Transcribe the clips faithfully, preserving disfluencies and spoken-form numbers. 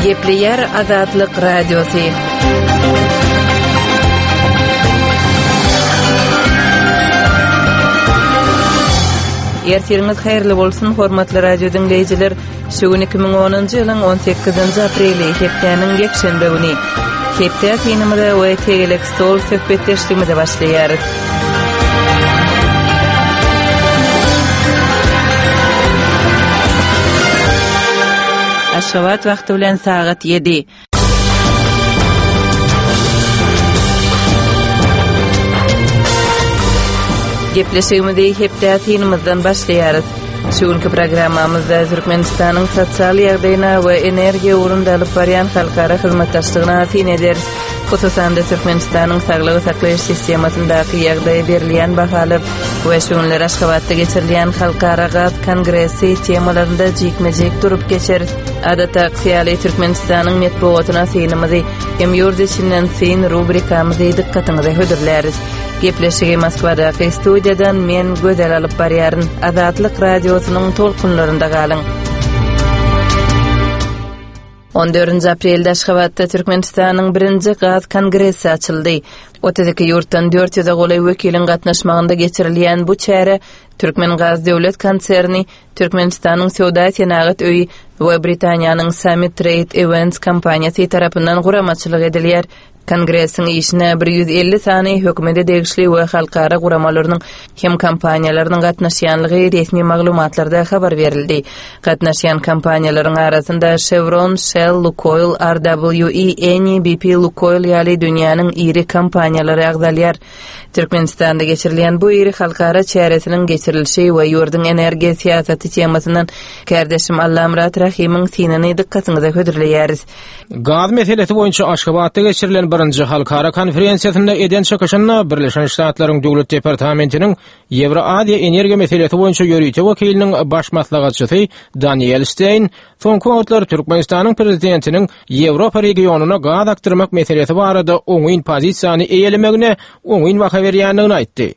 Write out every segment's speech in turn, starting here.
Gepleýär Azatlyk Radiosy. Ertiriňiz haýyrly bolsun, hormatly radio diňleýjiler. Şu gün iki müň onunjy ýylyň on sekizinji apreli, hepdäniň ýekşenbe güni. Hepde synymyza we tegelek stol söhbetdeşligimize başlaýarys. Aşgabat wagty bilen sagat ýedi. Gepleşigimizi hepde synymyzdan başlaýarys. Şu günki programmamyzda Türkmenistanyň sosial ýagdaýyna we energiýa ugrunda alyp barýan halkara hyzmatdaşlygyna syn ederis. Hususan-da Türkmenistanyň saglygy saklaýyş sistemasyndaky ýagdaýa berilýän bahalar we şu günler Aşgabatda geçirilýän Halkara gaz kongresi temalarynda jikme-jik durup geçeris. Adatdaky ýaly Türkmenistanyň metbugatyna synymyzy hem ýurt içinden syn rubrikamyzy dykgatyňyza hödürläris. Gepleşigi Moskwadaky studiýadan men Gözel alyp barýaryn. Azatlyk radiosynyň tolkunlarynda galyň. On dördünji aprelde Aşgabatda Türkmenistanyň birinji gaz kongresi açyldy. Otuz iki ýurtdan dört ýüze golaý wekiliň gatnaşmagynda geçirilýän bu çäre Türkmen gaz döwlet konserni, Türkmenistanyň söwda senagat öýi we Britaniýanyň Summit Trade Events kompaniýasy tarapyndan guramaçylyk edilýär. Kongresiň işine bir ýüz elli sany hökümete degişli we halkara guramalarynyň hem kompaniýalarynyň gatnaşýanlygy resmi maglumatlarda habar berildi. Gatnaşýan kompaniýalaryň arasynda Chevron, Shell, Lukoil, R W E, Eni, B P, Lukoil ýaly dünýäniň iri kompaniýalary agzalýar. Türkmenistanda geçirilýän bu iri halkara çäresiniň geçirilişi we ýurduň energiýa syýasaty temasyndan kärdeşim Allamyrat Rahimiň synyny dykgatyňyza hödürleýäris. Gaz meselesi boýunça Aşgabatda geçirilen birinji halkara konferensiýasynda eden çykyşynda Birleşen Ştatlaryň Döwlet Departamentiniň Ýewroaziýa energiýa meselesi boýunça ýörite wekiliniň baş maslahatçysy Daniel Stein soňky wagtlar Türkmenistanyň prezidentiniň Ýewropa regionyna gaz akdyrmak meselesi barada oňyn pozisiýany eýelemegine oňyn baha berýändigini aýtdy.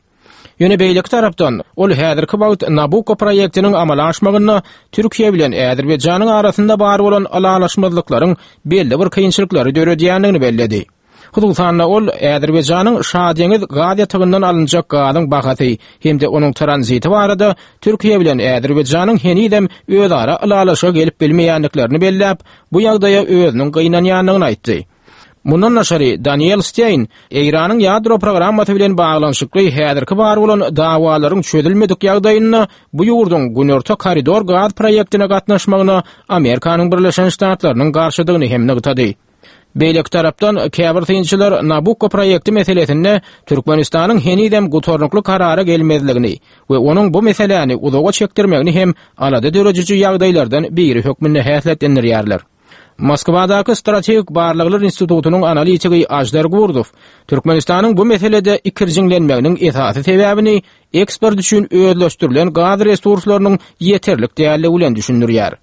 Ýöne beýleki tarapdan ol häzirki wagt Nabucco proýektiniň amala aşmagynda Türkiýe bilen Azerbaýjanyň arasynda bar bolan ylalaşmazlyklaryň belli bir kynçylyklary döredýändigini belledi. Hususan-da ol Azerbaýjanyň Şadeňiz gaz ýatagyndan alynjak gazyň bahasy hem-de onuň tranziti barada Türkiýe bilen Azerbaýjanyň henizem özara ylalaşyga gelip bilmeýändiklerini belläp, bu ýagdaýa özüniň gynanýandygyny aýtdy. Mundan daşary Daniel Stein Eýranyň ýadro programmasy bilen baglanyşykly häzirki bar bolan dawalaryň çözülmedik ýagdaýynda bu ýurduň Günorta koridor gaz proýektine gatnaşmagyna Amerikanyň Birleşen Ştatlarynyň garşydygyny hem nygtady. Beýleki tarapdan käbir synçylar Nabucco proýekti meselesinde Türkmenistanyň henizem gutarnykly karara gelmezligini we onuň bu meseläni uzaga çekdirmegini hem alada dörediji ýagdaýlardan biri hökmünde häsiýetlendirýärler. Moskwadaky Strategik Barlaglar Institutynyň analitigi Ajdar Gurdow Türkmenistanyň bu meselede ikirjiňlenmeginiň esasy sebäbini eksport üçin özleşdirilen gaz resurslarynyň ýeterlik dälligi bilen düşündirýär.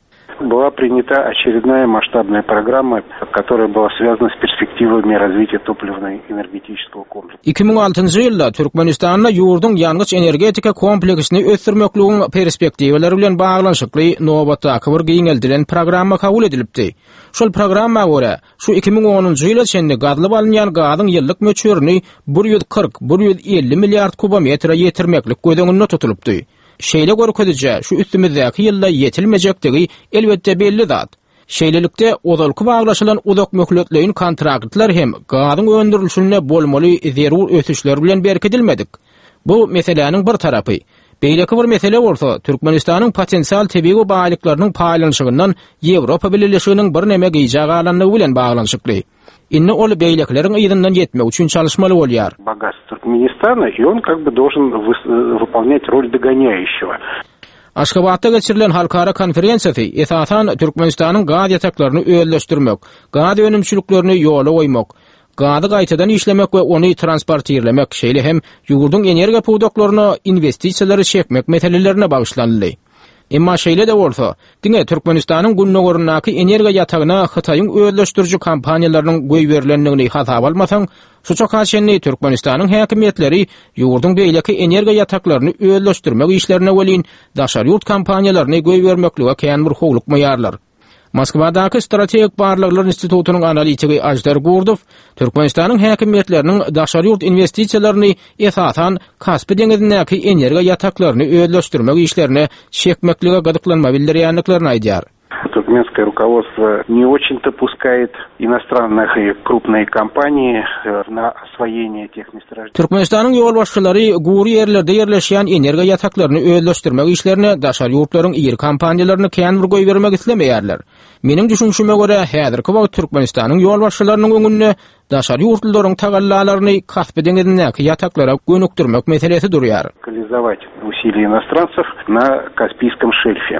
Была принята очередная масштабная программа, которая была связана с перспективами развития топливно-энергетического комплекса. Iki müň altynjy ýylda Türkmenistanda ýurduň ýangyç energetika kompleksini ösdürmekligiň perspektiwalary bilen baglanyşykly nobatdaky bir giňeldilen programma kabul edilipdi. Şol programma görä, şu iki müň onunjy ýyla çenli gazlyp alynýan gazyň ýyllyk möçberini bir ýüz kyrk, bir ýüz elli milliard kubometre ýetirmeklik göz öňünde tutulypdy. Şeýle görkezije şu üstümizdäki ýylda ýetilmejekdigi elbetde belli zat. Şeýlelikde ozalky baglaşylan uzak möhletleýin kontraktlar hem gazyň öndürilişinde bolmaly zerur ösüşler bilen berkidilmedik. Bu meseläniň bir tarapy. Beýleki bir mesele bolsa Türkmenistanyň potensial tebigy baýlyklarynyň paýlanyşygyndan Ýewropa Bileleşiginiň bir neme gijä galanlygy bilen baglanyşykly. Indi ol beýlekileriň yzyndan ýetmek üçin çalışmaly bolýar. Богатство Туркменистана, и он как бы должен выс-, выполнять роль догоняющего. Aşgabatda geçirilen halkara konferensiýasy esasan Türkmenistanyň gaz ýataklaryny özleşdirmek, gaz önümçiliklerini ýola goýmak, gazy gaýtadan işlemek we ony transportirlemek, şeýle hem ýurduň energiýa pudaklaryna investisiýalary çekmek meselelerine bagyşlanyldy. Emma şeýle de bolsa, diňe Türkmenistanyň gündogaryndaky energiýa ýatagyna Hytaýyň özleşdiriji kompaniýalarynyň goýberilendigini hasaba almasaň, şu çaka çenli Türkmenistanyň häkimiýetleri ýurduň beýleki energiýa ýataklaryny özleşdirmek işlerine welin daşary ýurt kompaniýalaryny goýbermeklige kän bir howlukmaýarlar. Moskwadaky Strategik Barlaglar Institutynyň analitigi Ajdar Gurdow Türkmenistanyň häkimiýetleriniň daşary ýurt investisiýalaryny esasan Kaspi deňizindäki energiýa ýataklaryny özleşdirmek işlerine çekmeklige gyzyklanma bildirýändiklerini aýdýar. Туркменское руководство не очень-то пускает иностранных и крупные компании э, на освоение тех месторождений. Türkmenistanyň ýolbaşçylary gury ýerlerde ýerleşýän energiýa ýataklaryny özleşdirmek işlerine daşary ýurtlaryň iri kompaniýalaryny kän bir goýbermek islemeýärler. Meniň düşünişime görä, häzirki wagt Türkmenistanyň ýolbaşçylarynyň öňünde daşary ýurtlaryň tagallalaryny Kaspi deňizindäki ýataklara gönükdirmek meselesi durýar. Локализовать усилия иностранцев на Каспийском шельфе.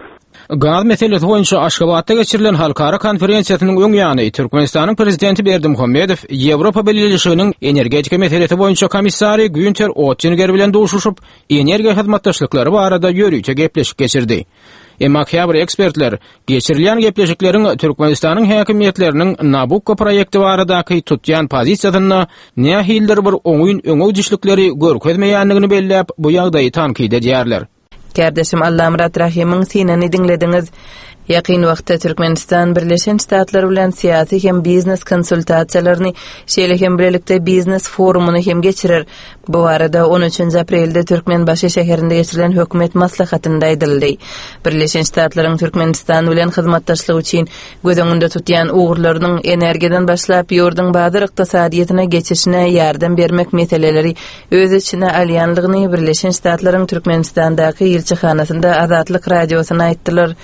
Gaz meselesi boýunça Aşgabatda geçirilen halkara konferensiýasynyň öň ýany Türkmenistanyň prezidenti Berdimuhamedow Ýewropa Bileleşiginiň energetika meselesi boýunça komissary Günter Oettinger bilen duşuşyp, energiýa hyzmatdaşlyklary barada ýörite gepleşik geçirdi. Emma käbir ekspertler geçirilýän gepleşikleriň Türkmenistanyň häkimiýetleriniň Nabukko proýekti baradaky tutýan pozisiýasynda nähilidir bir oňyn öňe gidişlikleri görkezmeýändigini belläp, bu ýagdaýy tankyt edýärler. Kärdeşim Allamyrat Rahymyň synyny diňlediňiz. Ýakyn wagtda Türkmenistan Birleşen Ştatlar bilen syýasy hem biznes konsultasiýalaryny, şeýle hem birlikde biznes forumyny hem geçirer. Bu barada on üçünji aprelde Türkmenbaşy şäherinde geçirilen hökümet maslahatynda aýdyldy. Birleşen Ştatlaryň Türkmenistan bilen hyzmatdaşlygy üçin göz öňünde tutýan ugurlarynyň energiýadan başlap ýurduň bazar ykdysadyýetine geçişine ýardam bermek meseleleri öz içine alýanlygyny Birleşen Ştatlaryň Türkmenistandaky ilçihanasynda Azatlyk radiosyna aýtdylar.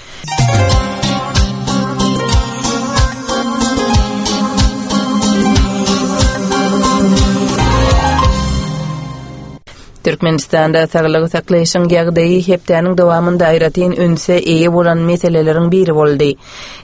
Türkmenistanda saglygy saklaýşyň ýagdaýy hepdäniň dowamynda aýratyn ünse eýe bolan meseleleriň biri boldy.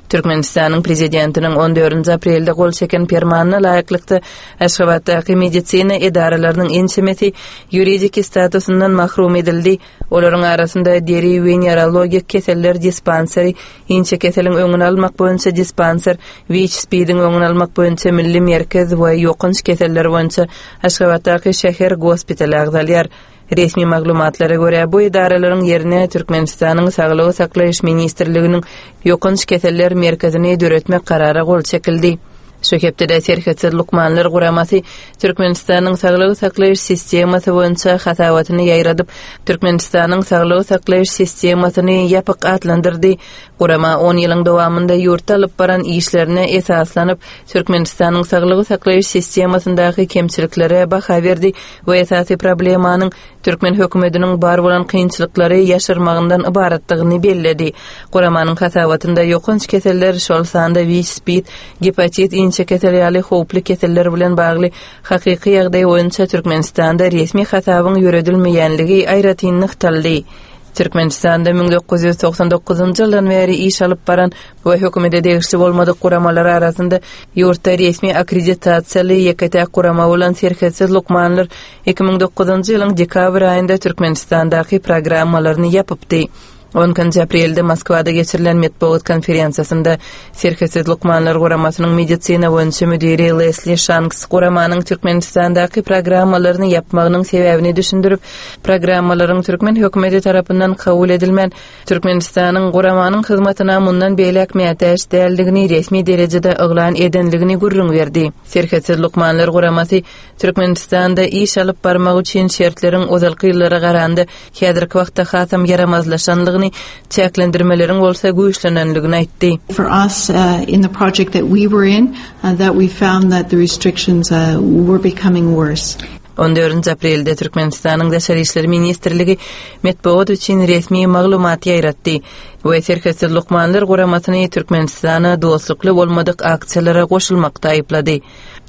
Türkmenistanyň prezidentiniň on dördünji aprelde gol çeken permanyna laýyklykda Aşgabatdaky medisina edaralarynyň ençemesi ýuridiki statusyndan mahrum edildi. Olaryň arasynda deri we neurologik keseller dispanseri, inçe keseliň öňüni almak boýunça dispanser, WIÇ-SPID-iň öňüni almak boýunça milli merkez we ýokanç keseller boýunça Aşgabatdaky şäher gospitaly agzalýar. Resmi maglumatlara görä, bu edaralaryň ýerine Türkmenistanyň Saglygy saklaýyş ministrliginiň ýokanç keseller merkezini döretmek karara gol çekildi. Şu hepdede Serhetsiz Lukmanlar Guramasy Türkmenistanyň saglygy saklaýyş sistemasy boýunça hasabatyny ýaýradyp, Türkmenistanyň saglygy saklaýyş sistemasyny ýapyk atlandyrdy. Gurama on ýylyň dowamynda ýurtda alyp baran işlerine esaslanyp, Türkmenistanyň saglygy saklaýyş sistemasyndaky kemçiliklere baha berdi we esasy problemanyň Türkmen hökümetiniň bar bolan kynçylyklary ýaşyrmagyndan ybaratdygyny belledi. Guramanyň hasabatynda ýokanç keseller, şol sanda WIÇ-SPID, gepatit, inçe kesel ýaly howply keseller bilen bagly hakyky ýagdaý boýunça Türkmenistanda resmi hasabyň ýöredilmeýänligi aýratyn nygtaldy. Türkmenistanda müň dokuz ýüz togsan dokuzynjy ýyldan bäri iş alyp baran we hökümete degişli bolmadyk guramalar arasynda ýurtda resmi akkreditasiýaly ýeke-täk gurama bolan Serhetsiz Lukmanlar iki müň dokuzynjy ýylyň dekabr aýynda Türkmenistandaky programmalaryny ýapypdy. on ikinji aprelde Moskwada geçirilen metbugat konferensiýasynda Serhetsiz Lukmanlar Guramasynyň medisina boýunça müdiri Lesli Şanks guramanyň Türkmenistandaky programmalaryny ýapmagynyň sebäbini düşündirip, programmalaryň türkmen hökümeti tarapyndan kabul edilmän, Türkmenistanyň guramanyň hyzmatyna mundan beýläk mätäç däldigini resmi derejede yglan edenligini gürrüň berdi. Serhetsiz Lukmanlar Guramasy Türkmenistanda iş alyp barmak üçin şertleriň ozalky ýyllara garanda häzirki wagtda hasam ýaramazlaşanlygyny, çäklendirmeleriň bolsa güýçlenenligini aýtdy. For us, uh, in the project that we were in, uh, that we found that the restrictions, uh, were becoming worse. on dördünji aprelde Türkmenistanyň Daşary İşler Ministrligi metbugat üçin resmi maglumat ýaýratdy we Serhetsiz Lukmanlar Guramasyny Türkmenistana dostlukly bolmadyk aksiýalara goşulmakda aýyplady.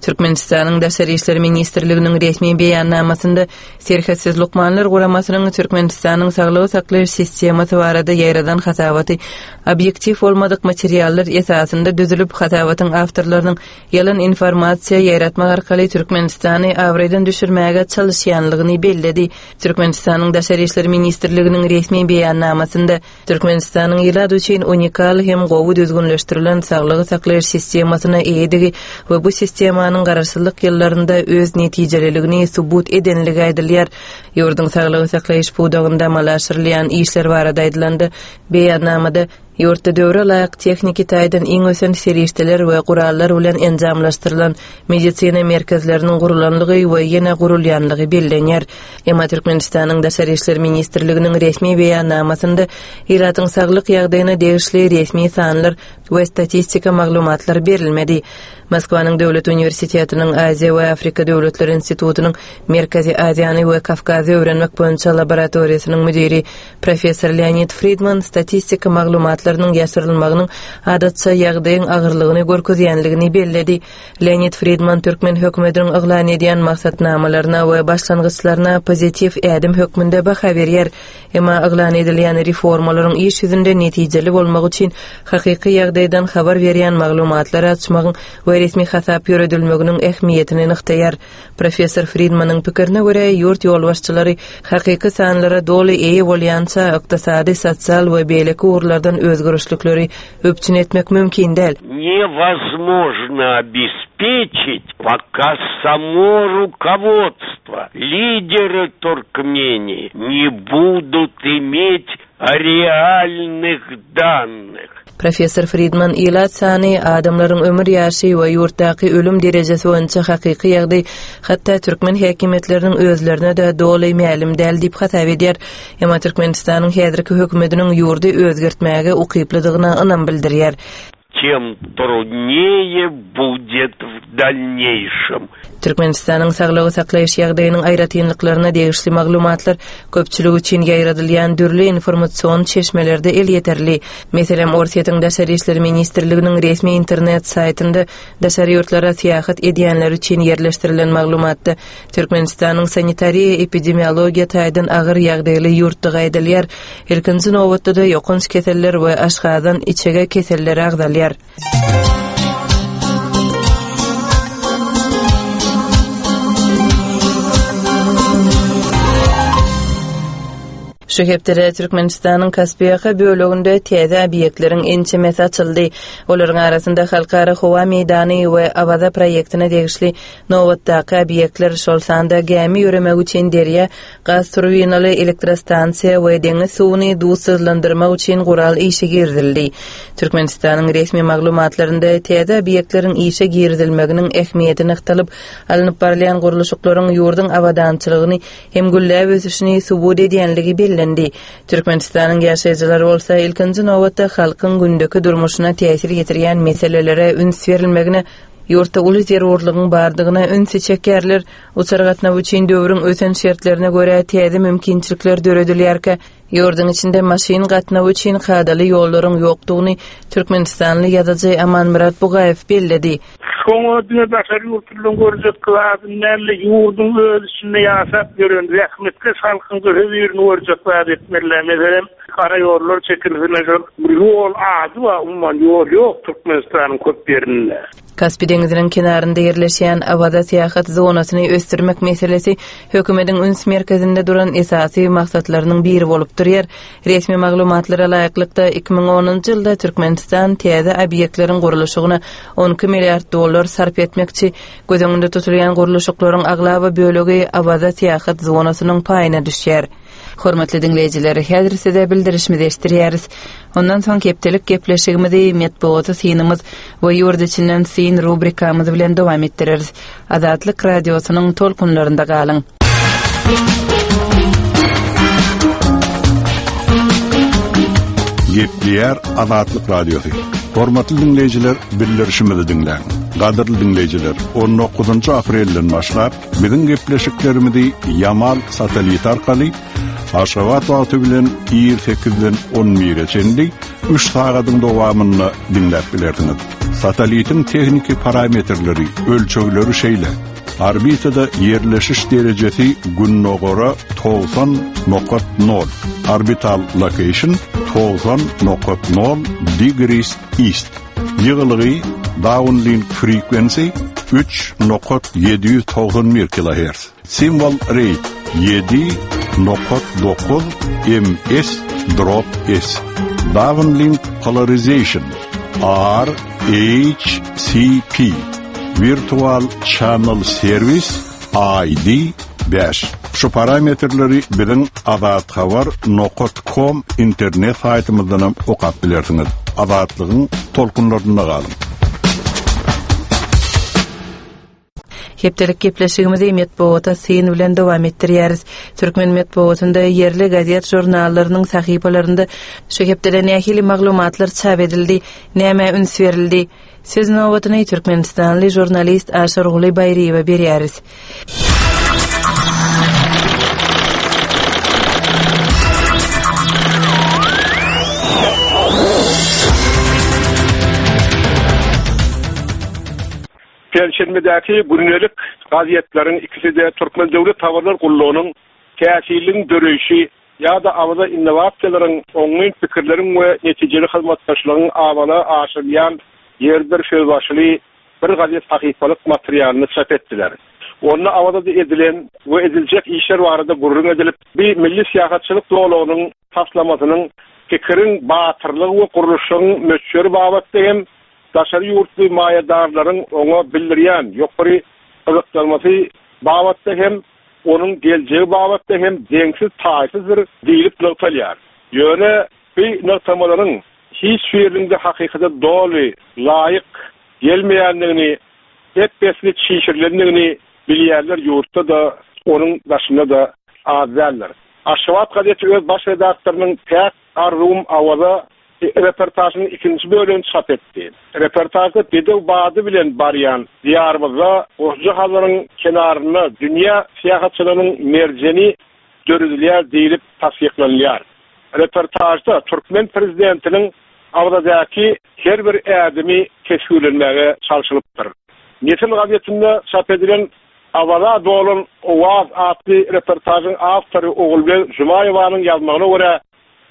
Türkmenistanyň Daşary İşler Ministrliginiň resmi beýannamasynda Serhetsiz Lukmanlar Guramasynyň Türkmenistanyň saglygy saklaýyş sistemasy barada ýaýradan hasabaty obýektiw bolmadyk materiallar esasynda düzülip, hasabatyň awtorlarynyň ýalan informasiýa ýaýratmak arkaly Türkmenistany abraýdan düşürmäge çalışýanlygyny belledi. Türkmenistanyň Daşary İşler Ministrliginiň resmi beýannamasynda Türkmenistanyň ýylat üçin unikal hem gowy düzgünleşdirilen saglygy saklaýyş sistemasyna eýedigi we bu sistemanyň garaşsyzlyk ýyllarynda öz netijeliligini subut edenligi aýdylýar. Ýurduň saglygy saklaýyş pudagynda amala aşyrylýan işler barada aýdylanda beýannamada Ýurtda döwre laýyk tehniki taýdan iň ösen serişdeler we gurallar bilen enjamlaşdyrylan medisina merkezleriniň gurulanlygy we ýene gurulýanlygy bellenýär. Emma Türkmenistanyň Daşary işler ministrliginiň resmi beýannamasynda ilatyň saglyk ýagdaýyna degişli resmi sanlar we statistika maglumatlary berilmedi. Moskwanyň Döwlet Universitetiniň Aziýa we Afrika Döwletleri Institutynyň Merkezi Aziýany we Kawkazy öwrenmek boýunça laboratoriýasynyň müdiri professor Leonid Friedman statistika maglumatlarynyň ýaşyrylmagynyň adatça ýagdaýyň agyrlygyny görkezýänligini belledi. Leonid Friedman türkmen hökümetiniň yglan edýän maksatnamalaryna we başlangyçlaryna pozitiw ädim hökmünde baha berýär. Emma yglan edilýän reformalaryň iş ýüzünde netijeli bolmagy üçin hakyky ýagdaýdan habar berýän maglumatlary açmagyň we resmi hasap ýöredilmeginiň ähmiýetini nygtaýar. Professor Friedmanyň pikirine görä, ýurt ýolbaşçylary hakyky sanlara doly eýe bolýança ykdysady, sosial we beýleki ugurlardan özgerişlikleri üpjün etmek mümkin däl. Невозможно обеспечить, пока само руководство, лидеры Туркмении не будут иметь реальных данных. Professor Friedman ilat sany adamlaryň ömür ýaşy we ýurtdaky ölüm derejesi boýunça hakyky ýagdaý hatda türkmen häkimiýetleriniň özlerine de doly mälim däl diýip hasap edýär. Emma Türkmenistanyň häzirki hökümetiniň ýurdy özgertmäge ukyplydygyna ynam bildirýär. Тем труднее будет в дальнейшем. Türkmenistanyň saglygy saklaýyş ýagdaýynyň aýratynlyklaryna degişli maglumatlar köpçülik üçin ýaýradylýan dürli informasion çeşmelerde elýeterli. Meselem, Orsýetiň Daşary işler ministrliginiň resmi internet saýtynda daşary ýurtlara syýahat edýänler üçin ýerleşdirilen maglumatda Türkmenistanyň sanitariýa epidemiologiýa taýdan agyr ýagdaýly ýurtdygy aýdylýar. Ilkinji nobatda da ýokanç keseller we aşgazan içege keselleri agzalýar. Şu hepdede Türkmenistanyň Kaspiýaka böleginde täze obýektleriň ençemesi açyldy. Olaryň arasynda Halkara howa meýdany we Awaza proýektine degişli nobatdaky obýektler, şol sanda gämi ýöremek üçin derýa, gaz turbinaly elektrostansiýa we deňiz suwuny duzsuzlandyrmak üçin gural işe girizildi. Türkmenistanyň resmi maglumatlarynda täze obýektleriň işe girizilmeginiň ähmiýeti nygtalyp, alnyp barylýan gurluşyklaryň ýurduň abadançylygyny hem gülläp ösüşini subut edýänligi bellendi. Türkmenistanyň ýaşaýjylary bolsa ilkinji nobatda halkyň gündeki durmuşyna täsir ýetirýän meselelere üns berilmegine, ýurtda uly zerurlygyň bardygyna ünsi çekýärler. Uçar gatnawy üçin döwrüň ösen şertlerine görä täze mümkinçilikler döredilýärkä, ýurduň içinde maşyn gatnawy üçin kadaly ýollaryň ýokdugyny Türkmenistanly ýazyjy Amanmyrat Bugaýew belledi. Şoňa diňe daşary ýurtlaryň görjek zadyny däl, ýurduň öz içinde ýaşap ýören zähmetkeş halkyň hözirini görjek zat etmeliler. Meselem, gara ýollar çekilsin, şol ýol ady bar, umuman ýol ýok Türkmenistanyň köp ýerinde. Kaspi deňiziniň kenarynda ýerleşýän Awaza syýahat zonasyny ösdürmek meselesi hökümetiň üns merkezinde duran esasy maksatlarynyň biri bolup durýar. Resmi maglumatlara laýyklykda iki müň onunjy ýylda Türkmenistan täze obýektleriň gurluşygyna on iki milliard dollar sarp etmekçi. Göz öňünde tutulýan gurluşyklaryň aglaba bölegi Awaza syýahat zonasynyň paýyna düşýär. Hormatly diňleýjiler, häzir size bildirişimizi eşitdirýäris. Ondan soň hepdelik gepleşigimizi metbugaty synymyz we ýurt içinden syn rubrikamyz bilen dowam etdireris. Azatlyk radiosynyň tolkunlarynda galyň. Gepleýär Azatlyk radiosy. Hormatly diňleýjiler, bildirişimizi diňläň. Gadyrly diňleýjiler, on dokuzynjy aprelden başlap biziň gepleşiklerimizi Yamal satelit arkaly Aşgabat wagty bilen ir sekizden on bire çenli üç sagadyň dowamynda diňläp bilersiňiz. Satelitiň tehniki parametrleri, ölçegleri şeýle. Orbitada ýerleşiş derejesi günnogara togsan nokat nol. Orbital location togsan nokat nol degrees east. Ýygylygy downlink frequency üç nokat ýedi ýüz togsan bir kilohertz. Symbol rate ýedi nokat dokuz M S drop S. Downlink polarization R H C P. Virtual Channel Service I D beş. Şu parametrleri biziň azathabar nokat com internet saýtymyzdan okap bilersiňiz. Azatlygyň tolkunlarynda galyň. Hepdelik gepleşigimizi metbuata syn bilen dowam etdirýäris. Türkmen metbuatynda ýerli gazet žurnallarynyň sahypalarynda şu hepdede nähili maglumatlar çap edildi, näme üns berildi? Söz nobatyny Türkmenistanly žurnalist Aşyrguly Baýryýewe berýäris. Perşenbedäki gündelik gazetleriň ikisi de Türkmen Döwlet Habarlar Gullugynyň täsirliň döreýşi ýa-da Awaza innowasiýalaryň oňyn pikirleriň we netijeli hyzmatdaşlygyň awala aşyrylýan ýerdir sözbaşyly bir gazet sahypalyk materialyny çap etdiler. Onda Awazada edilen we ediljek işler barada gürrüň edilip, bir milli syýahatçylyk zolagynyň taslamasynyň pikiriň batyrlygy we gurluşygyň möçberi babatda hem daşary ýurtly maýadarlaryň oňa bildirýän ýokary gyzyklanmasy babatda hem onuň geljegi babatda hem deňsiz taýsyzdyr diýlip nygtalýar. Ýöne bu nygtamalaryň hiç birinde hakykata doly laýyk gelmeýändigini, ep-esli çişirilendigini bilýärler ýurtda da onuň daşynda da az däldir. Aşgabat gazeti öz baş redaktorynyň Päk Arzuwum Awaza reportajynyň ikinji bölümini çap etdi. Reportajda bedew bady bilen barýan diýarymyzda Goşja Hazaryň kenarynda dünýä syýahatçylarynyň merjeni döredilýär diýlip tassyklanylýar. Reportajda Türkmen prezidentiniň Awazadaky her bir ädimi teswirlenmäge çalşylypdyr. Nesil gazetinde çap edilen Awaza dolan Owaz atly reportajyň awtory Ogulbeg Jumaýewanyň ýazmagyna görä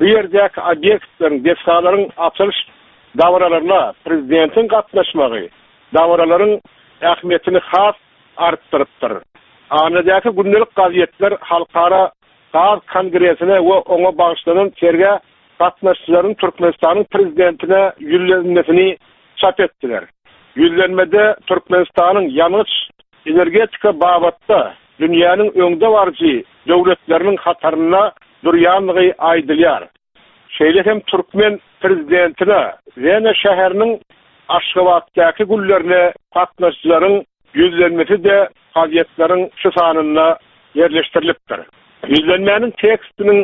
bu ýerdäki obýektleriň, desgalaryň açylyş dabaralaryna prezidentiň gatnaşmagy dabaralaryň ähmiýetini has artdyrypdyr. Anadäki gündelik gazetler halkara gaz kongresine we oňa bagyşlanan sergä gatnaşyjylaryň Türkmenistanyň prezidentine ýüzlenmesini çap etdiler. Ýüzlenmede Türkmenistanyň ýangyç energetika babatda dünýäniň öňde baryjy döwletleriniň hatarynda durýanlygy aýdylýar. Şeýle hem Türkmen prezidentine Wena şäheriniň Aşgabatdaky güllerine gatnaşyjylaryň ýüzlenmesi de gazetleriň şu sanynda ýerleşdirilipdir. Ýüzlenmäniň tekstiniň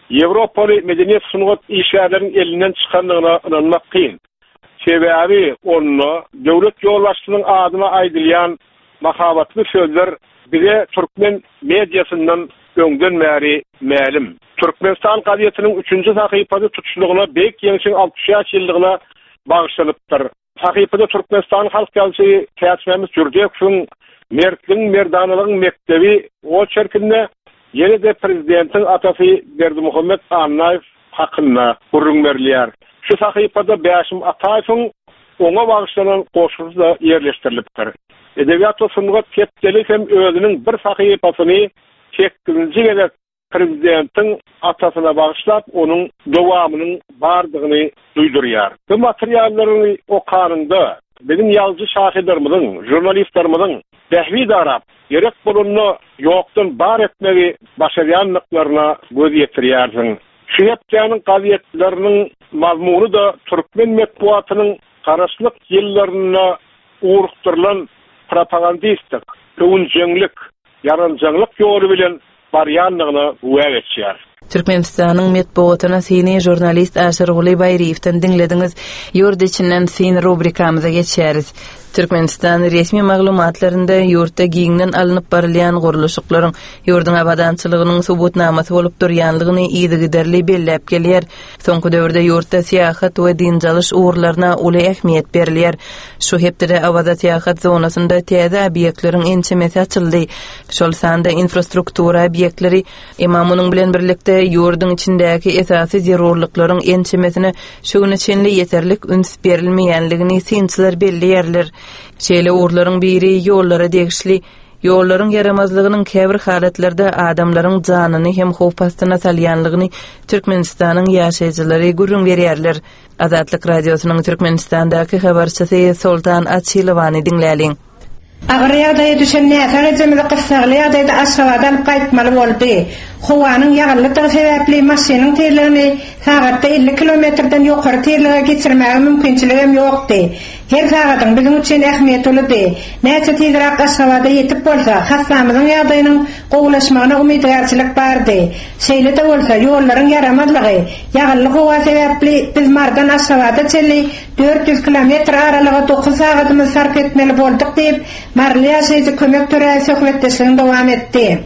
Ýewropaly medeniýet sungat işgärleriniň elinden çykandygyna ynanmak kyn. Sebäbi onda döwlet ýolbaşçysynyň adyna aýdylýan mahabatly sözler bize türkmen mediasyndan öňden bäri mälim. Türkmenistan gazetiniň üçünji sahypasy tutuşlygyna Beýik Ýeňşiň altmyş bäş ýyllygyna bagyşlanypdyr. Sahypada Türkmenistan halk ýazyjysy Täçmämmet Jürdekowyň Mertligiň merdanalygyň mekdebi oçerkinde ýene-de prezidentiň atasy Berdimuhamet Annaýew hakynda gürrüň berilýär. Şu sahypada Bäşim Ataýewiň oňa bagyşlanan goşgusy da ýerleşdirilipdir. Edebiýat we sungat hepdelik hem özüniň bir sahypasyny sekizinji gezek prezidentiň atasyna bagyşlap, onuň dowamynyň bardygyny duýdurýar. Bu materiallary okanyňda biziň ýazyjy şahyrlarymyzyň, žurnalistlerimiziň bähbit arap, gerek bolanda ýokdan bar etmegi başarýanlyklaryna göz ýetirýärsiň. Şu hepdäniň gazetleriniň mazmuny da türkmen metbuatynyň garaşlyk ýyllarynda ugrukdyrylan propagandistik, öwünjeňlik, ýaranjaňlyk ýoly bilen barýanlygyna güwä geçýär. Türkmenistanyň metbuatyna syny žurnalist Aşyrguly Baýryýewden diňlediňiz. Ýurt içinden syn rubrikamyza geçýäris. Türkmenistan resmi maglumatlarynda ýurtda giňden alnyp barylýan gurluşyklaryň ýurduň abadançylygynyň subutnamasy bolup durýanlygyny yzygiderli belläp gelýär. Soňky döwürde ýurtda syýahat we dynç alyş ugurlaryna uly ähmiýet berilýär. Şu hepdede Awaza syýahat zonasynda täze obýektleriň ençemesi açyldy. Şol sanda infrastruktura obýektleri, emma munuň bilen birlikde ýurduň içindäki esasy zerurlyklaryň ençemesine şu güne çenli ýeterlik üns berilmeýänligini synçylar belleýärler. Şeýle ugurlaryň biri ýollara degişli. Ýollaryň ýaramazlygynyň käbir halatlarda adamlaryň janyny hem howp astyna salýanlygyny Türkmenistanyň ýaşaýjylary gürrüň berýärler. Azatlyk radiosynyň Türkmenistandaky habarçysy Soltan Açylowany diňläliň. Agyr ýagdaýa düşen näsag ejemizi gyssagly ýagdaýda Aşgabada alyp gaýtmaly boldy. Howanyň ýagynlydygy sebäpli maşynyň tizligini sagatda elli kilometrden ýokary tizlige geçirmäge mümkinçiligem ýokdy. Her sagadyň biziň üçin ähmiýeti uludy. Näçe tizräk Aşgabada ýetip bolsa, hassamyzyň ýagdaýynyň gowulaşmagyna umydygärçilik bardy. Şeýle-de bolsa, ýollaryň ýaramazlygy, ýagynly howa sebäpli biz Mardan Aşgabada çenli dört ýüz kilometr aralyga dokuz sagadymyzy sarp etmeli bolduk diýip, Maryly ýaşaýjy Kömek Töräýew söhbetdeşligini dowam etdi.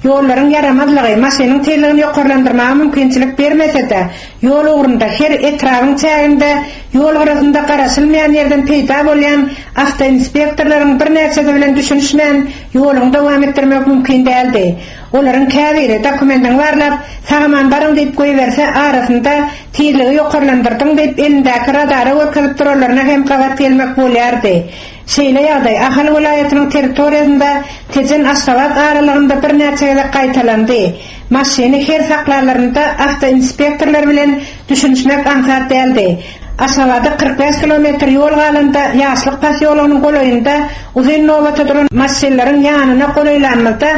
Ýollaryň ýaramazlygy maşynyň tizligini ýokarlandyrmaga mümkinçilik bermese-de, ýol ugrunda her etrabyň çäginde ýol gyrasynda garaşylmaýan ýerden peýda bolýan awtoinspektorlaryň birnäçesi bilen düşünişmän ýoluňy dowam etdirmek mümkin däldi. Olaryň käbiri dokumentiňi barlap, sag-aman baryň diýip goýberse, arasynda tizligi ýokarlandyrdyň diýip elindäki radara görkezip duranlaryna hem gabat gelmek bolýardy. Şeýle ýagdaý Ahal welaýatynyň territoriýasynda Tejen-Aşgabat aralygynda birnäçe gezek gaýtalandy. Maşyny her saklanlarynda awtoinspektorlar bilen düşünişmek aňsat däldi. Aşgabada kyrk bäş kilometr ýol galanda Ýaşlyk posýologynyň golaýynda uzyn nobata duran maşynlaryň ýanyna golaýlanymyzda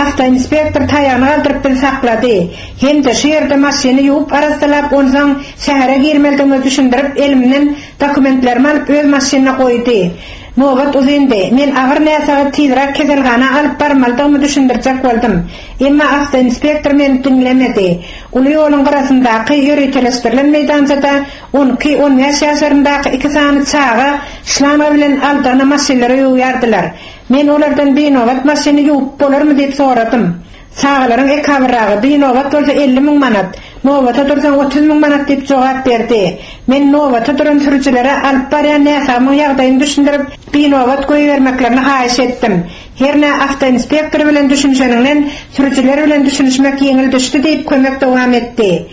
awtoinspektor taýagyny galdyryp bizi saklady. Hem-de şu ýerde maşyny ýuwup arassalap, onsoň şähere girmelidigimizi düşündirip, elimden dokumentlerimi alyp öz maşynyna goýdy. Nobat uzyndy. Men agyr näsagy tizräk keselhana alyp barmalydygymy düşündirjek boldum. Emma awtoinspektor meni diňlemedi. Uly ýoluň gyrasyndaky ýöriteleşdirilen meýdançada on iki, on bäş ýaşlaryndaky iki sany çaga şlanga bilen aldygyna maşynlary ýuwýardylar. Men olardan binobat maşyny ýuwup bolarmy diýip soradym. Çagalaryň ekabyrragy binobat bolsa elli müň manat, nobata dursaň otuz müň manat diýip jogap berdi. Men nobata duran sürüjilere alyp barýan näsagymyň ýagdaýyny düşündirip, binobat goýbermeklerini haýyş etdim. Herne awtoinspektor bilen düşünişeninden sürüjiler bilen düşünişmek ýeňil düşdi diýip kömek dowam etdi.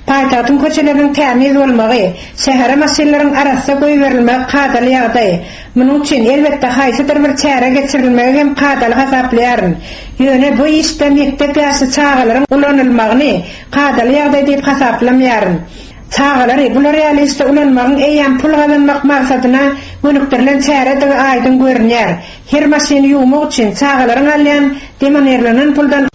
Paýtagtyň köçeleriniň tämiz bolmagy, şähere maşynlaryň arassa goýberilmegi kadaly ýagdaý. Munuň üçin elbetde haýsydyr bir çäre geçirilmegi hem kadaly hasaplaýaryn. Ýöne bu işde mekdep ýaşly çagalaryň ulanylmagyny kadaly ýagdaý diýip hasaplamaýaryn. Çagalary bular ýaly işde ulanmagyň eýýäm pul gazanmak maksadyna gönükdirilen çäredigi aýdyň görünýär. Her maşyny ýuwmak üçin çagalaryň alýan demonerlenen puldan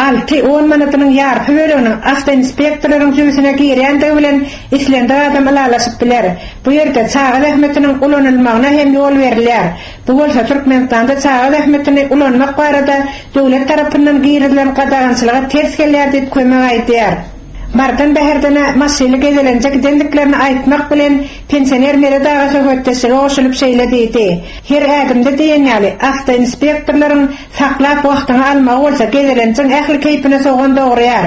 alty on manatynyň ýarpy böleginiň awtoinspektorlaryň jübüsine girýändigi bilen islendik adam ylalaşyp biler. Bu ýerde çaga zähmetiniň ulanylmagyna hem ýol berilýär. Bu bolsa Türkmenistanda çaga zähmetini ulanmak barada döwlet tarapyndan girizilen gadagançylyga ters gelýär diýip kömek aýdýar. Mardan Bäherdene maşyny gezelenje gidendiklerini aýtmak bilen pensioner Meret aga söhbetdeşlige goşulyp şeýle diýdi. Her ädimde diýen ýaly awtoinspektorlaryň saklap wagtyňy almagy bolsa gezelenjiň ähli keýpine sogan dogurýar.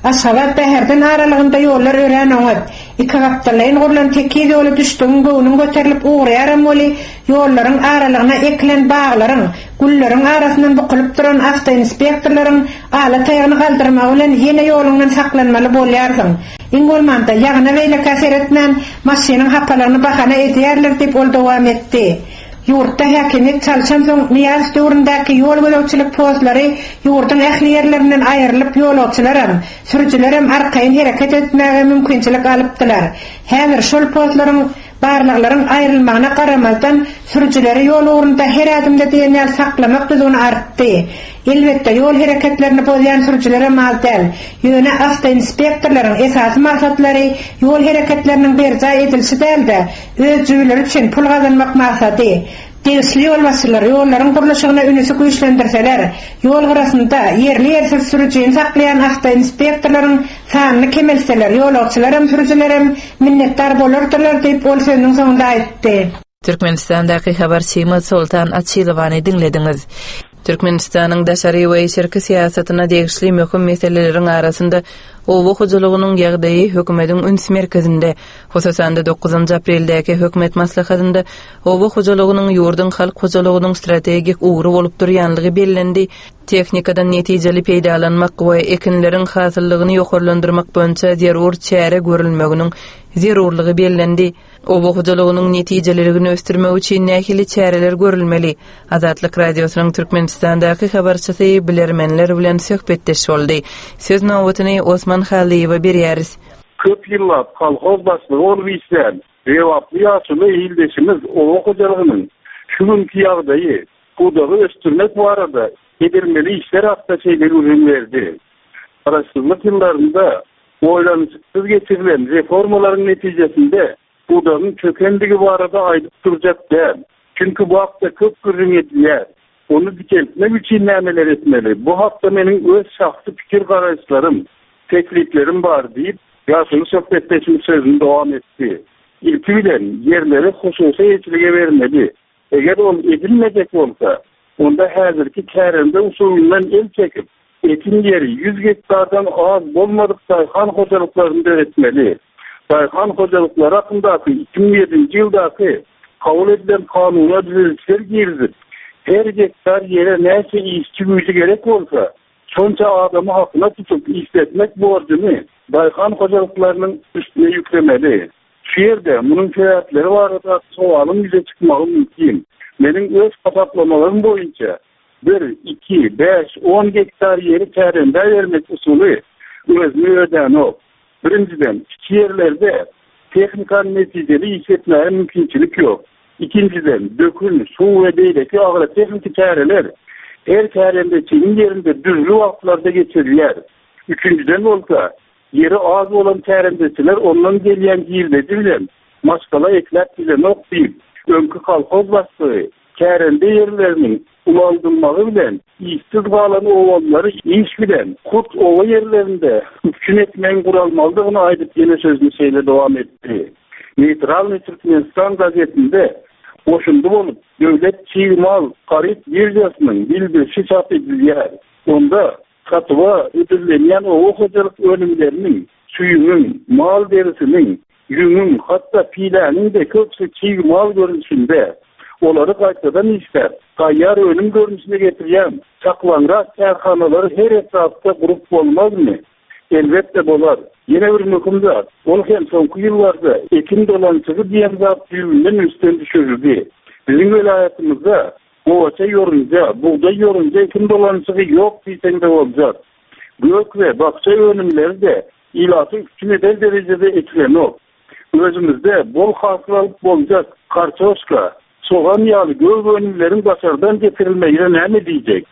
Aşgabat Bäherden aralygynda ýollar örän oňat. Iki gapdallaýyn gurlan tekiz ýoly düşdügiň göwnüň göterilip ugraýaram weli ýollaryň aralygyna ekilen baglaryň, gülleriň arasyndan bukulyp duran awtoinspektorlaryň ala taýagyny galdyrmagy bilen ýene ýoluňdan saklanmaly bolýarsyň. Iň bolmanda ýagyna beýlekä seretmän maşynyň hapalygyny bahana edýärler diýip ol dowam etdi. Ýurtda häkimiýet çalşan soň Nyýazow döwründäki ýol gözegçilik postlary ýurduň ähli ýerlerinden aýrylyp ýolagçylaram, sürüjilerem arkaýyn hereket etmäge mümkinçilik alypdylar. Häzir şol postlaryň barlaglaryň aýrylmagyna garamazdan sürüjileri ýol ugrunda her ädimde diýen ýaly saklamak düzgüni artdy. Elbetde ýol hereketlerini bozýan sürüjilere mal däl. Ýöne awtoinspektorlaryň esasy maksatlary ýol hereketleriniň berjaý edilişi däl-de, öz jübüleri üçin pul gazanmak maksady. Degişli ýolbaşçylar ýollaryň gurluşygyna ünüsi güýçlendirseler, ýol gyrasynda ýerli ýersiz sürüjini saklaýan awtoinspektorlaryň sanyny kemeltseler, ýolagçylaram, sürüjilerem minnetdar bolardylar diýip ol sözüniň soňunda aýtdy. Türkmenistandaky habarçymyz Soltan Açylowany diňlediňiz. Türkmenistanyň daşary we içerki syýasatyna degişli möhüm meseleleriň arasynda oba hojalygynyň ýagdaýy hökümetiň üns merkezinde, hususan-da dokuzynjy apreldäki hökümet maslahatynda oba hojalygynyň ýurduň halk hojalygynyň strategik ugry bolup durýanlygy bellendi. Tehnikadan netijeli peýdalanmak we ekinleriň hasyllygyny ýokarlandyrmak boýunça zerur çäre görülmeginiň zerurlygy bellendi. Oba hojalygynyň netijeliligini ösdürmek üçin nähili çäreler görülmeli? Azatlyk Radiosynyň Türkmenistandaky habarçysy bilermenler bilen söhbetdeş boldy. Söz nobatyny Osman Halyýewe berýäris. Köp ýyllap kolhoz başlygy bolup işlän, Lebaply ýaşuly ildeşimiz oba hojalygynyň şu günki ýagdaýy, Pudagy ösdürmek barada edilmeli işler hakda şeýle gürrüň berdi. Garaşsyzlyk ýyllarynda oýlanyşyksyz geçirilen reformalaryň netijesinde pudagyň çökendigi barada aýdyp durjak däl. Çünki bu hakda köp gürrüň edilýär. Ony dikeltmek üçin nämeler etmeli? Bu hakda meniň öz şahsy pikir garaýyşlarym, tekliplerim bar diýip, ýaşuly söhbetdeşimiz sözüni dowam etdi. Ilki bilen ýerleri hususy eýeçilige bermeli. Eger ol edilmejek bolsa, onda häzirki kärende usulyndan el çekip, ekin ýeri ýüz gektardan az bolmadyk daýhan hojalyklaryny döretmeli. Daýhan hojalyklary hakyndaky iki müň ýedinji ýyldaky kabul edilen kanuna düzedişler girizip, her gektar ýere näçe işçi güýji gerek bolsa, şonça adamy hakyna tutup işletmek borjuny daýhan hojalyklarynyň üstüne ýüklemeli. Şu ýerde munuň sebäpleri barada sowalyň ýüze çykmagy mümkin. Meniň öz hasaplamalarym boýunça bir, iki, bäş, on gektar ýeri kärendä bermek usuly özüni ödänok. Birinjiden, kiçi ýerlerde tehnikany netijeli işletmäge mümkinçilik ýok. Ikinjiden, dökün, suw we beýleki agrotehniki çäreler her kärendeçiniň ýerinde dürli wagtlarda geçirilýär. Üçünjiden bolsa, ýeri az bolan kärendeçiler ondan gelýän girdeji bilen maşgala ekläp bilenok diýip, öňki kolhoz başlygy kärende ýerleriniň ulaldylmagy bilen işsiz galan obalary iş bilen hut oba ýerlerinde üpjün etmegiň guralmalydygyny aýdyp ýene sözüni şeýle dowam etdi. Neytralny Türkmenistan gazetinde goşundy bolup döwlet çig mal haryt birjasynyň bildirişi çap edilýär. Onda satywa hödürlenýän oba hojalyk önümleriniň, süýümiň, mal derisiniň, ýüňüň, hatda piläniň de köpüsi çig mal görnüşinde olary gaýtadan işläp, taýýar önüm görnüşine getirýän çaklaňrak kärhanalary her etrapda gurup bolmazmy? Elbetde bolar. Ýene bir möhüm zat, ol hem soňky ýyllarda ekin dolançygy diýen zat düýbünden üstden düşürildi. Biziň welaýatymyzda gowaça ýorunja, bugdaý ýorunja ekin dolançygy ýok diýseň de boljak. Gök we bakja önümleri de ilaty üpjün eder derejede ekilenok. Özümizde bol hasyl alyp boljak kartoşka, sogan ýaly gök önümleriň daşardan getirilmegine näme diýjek?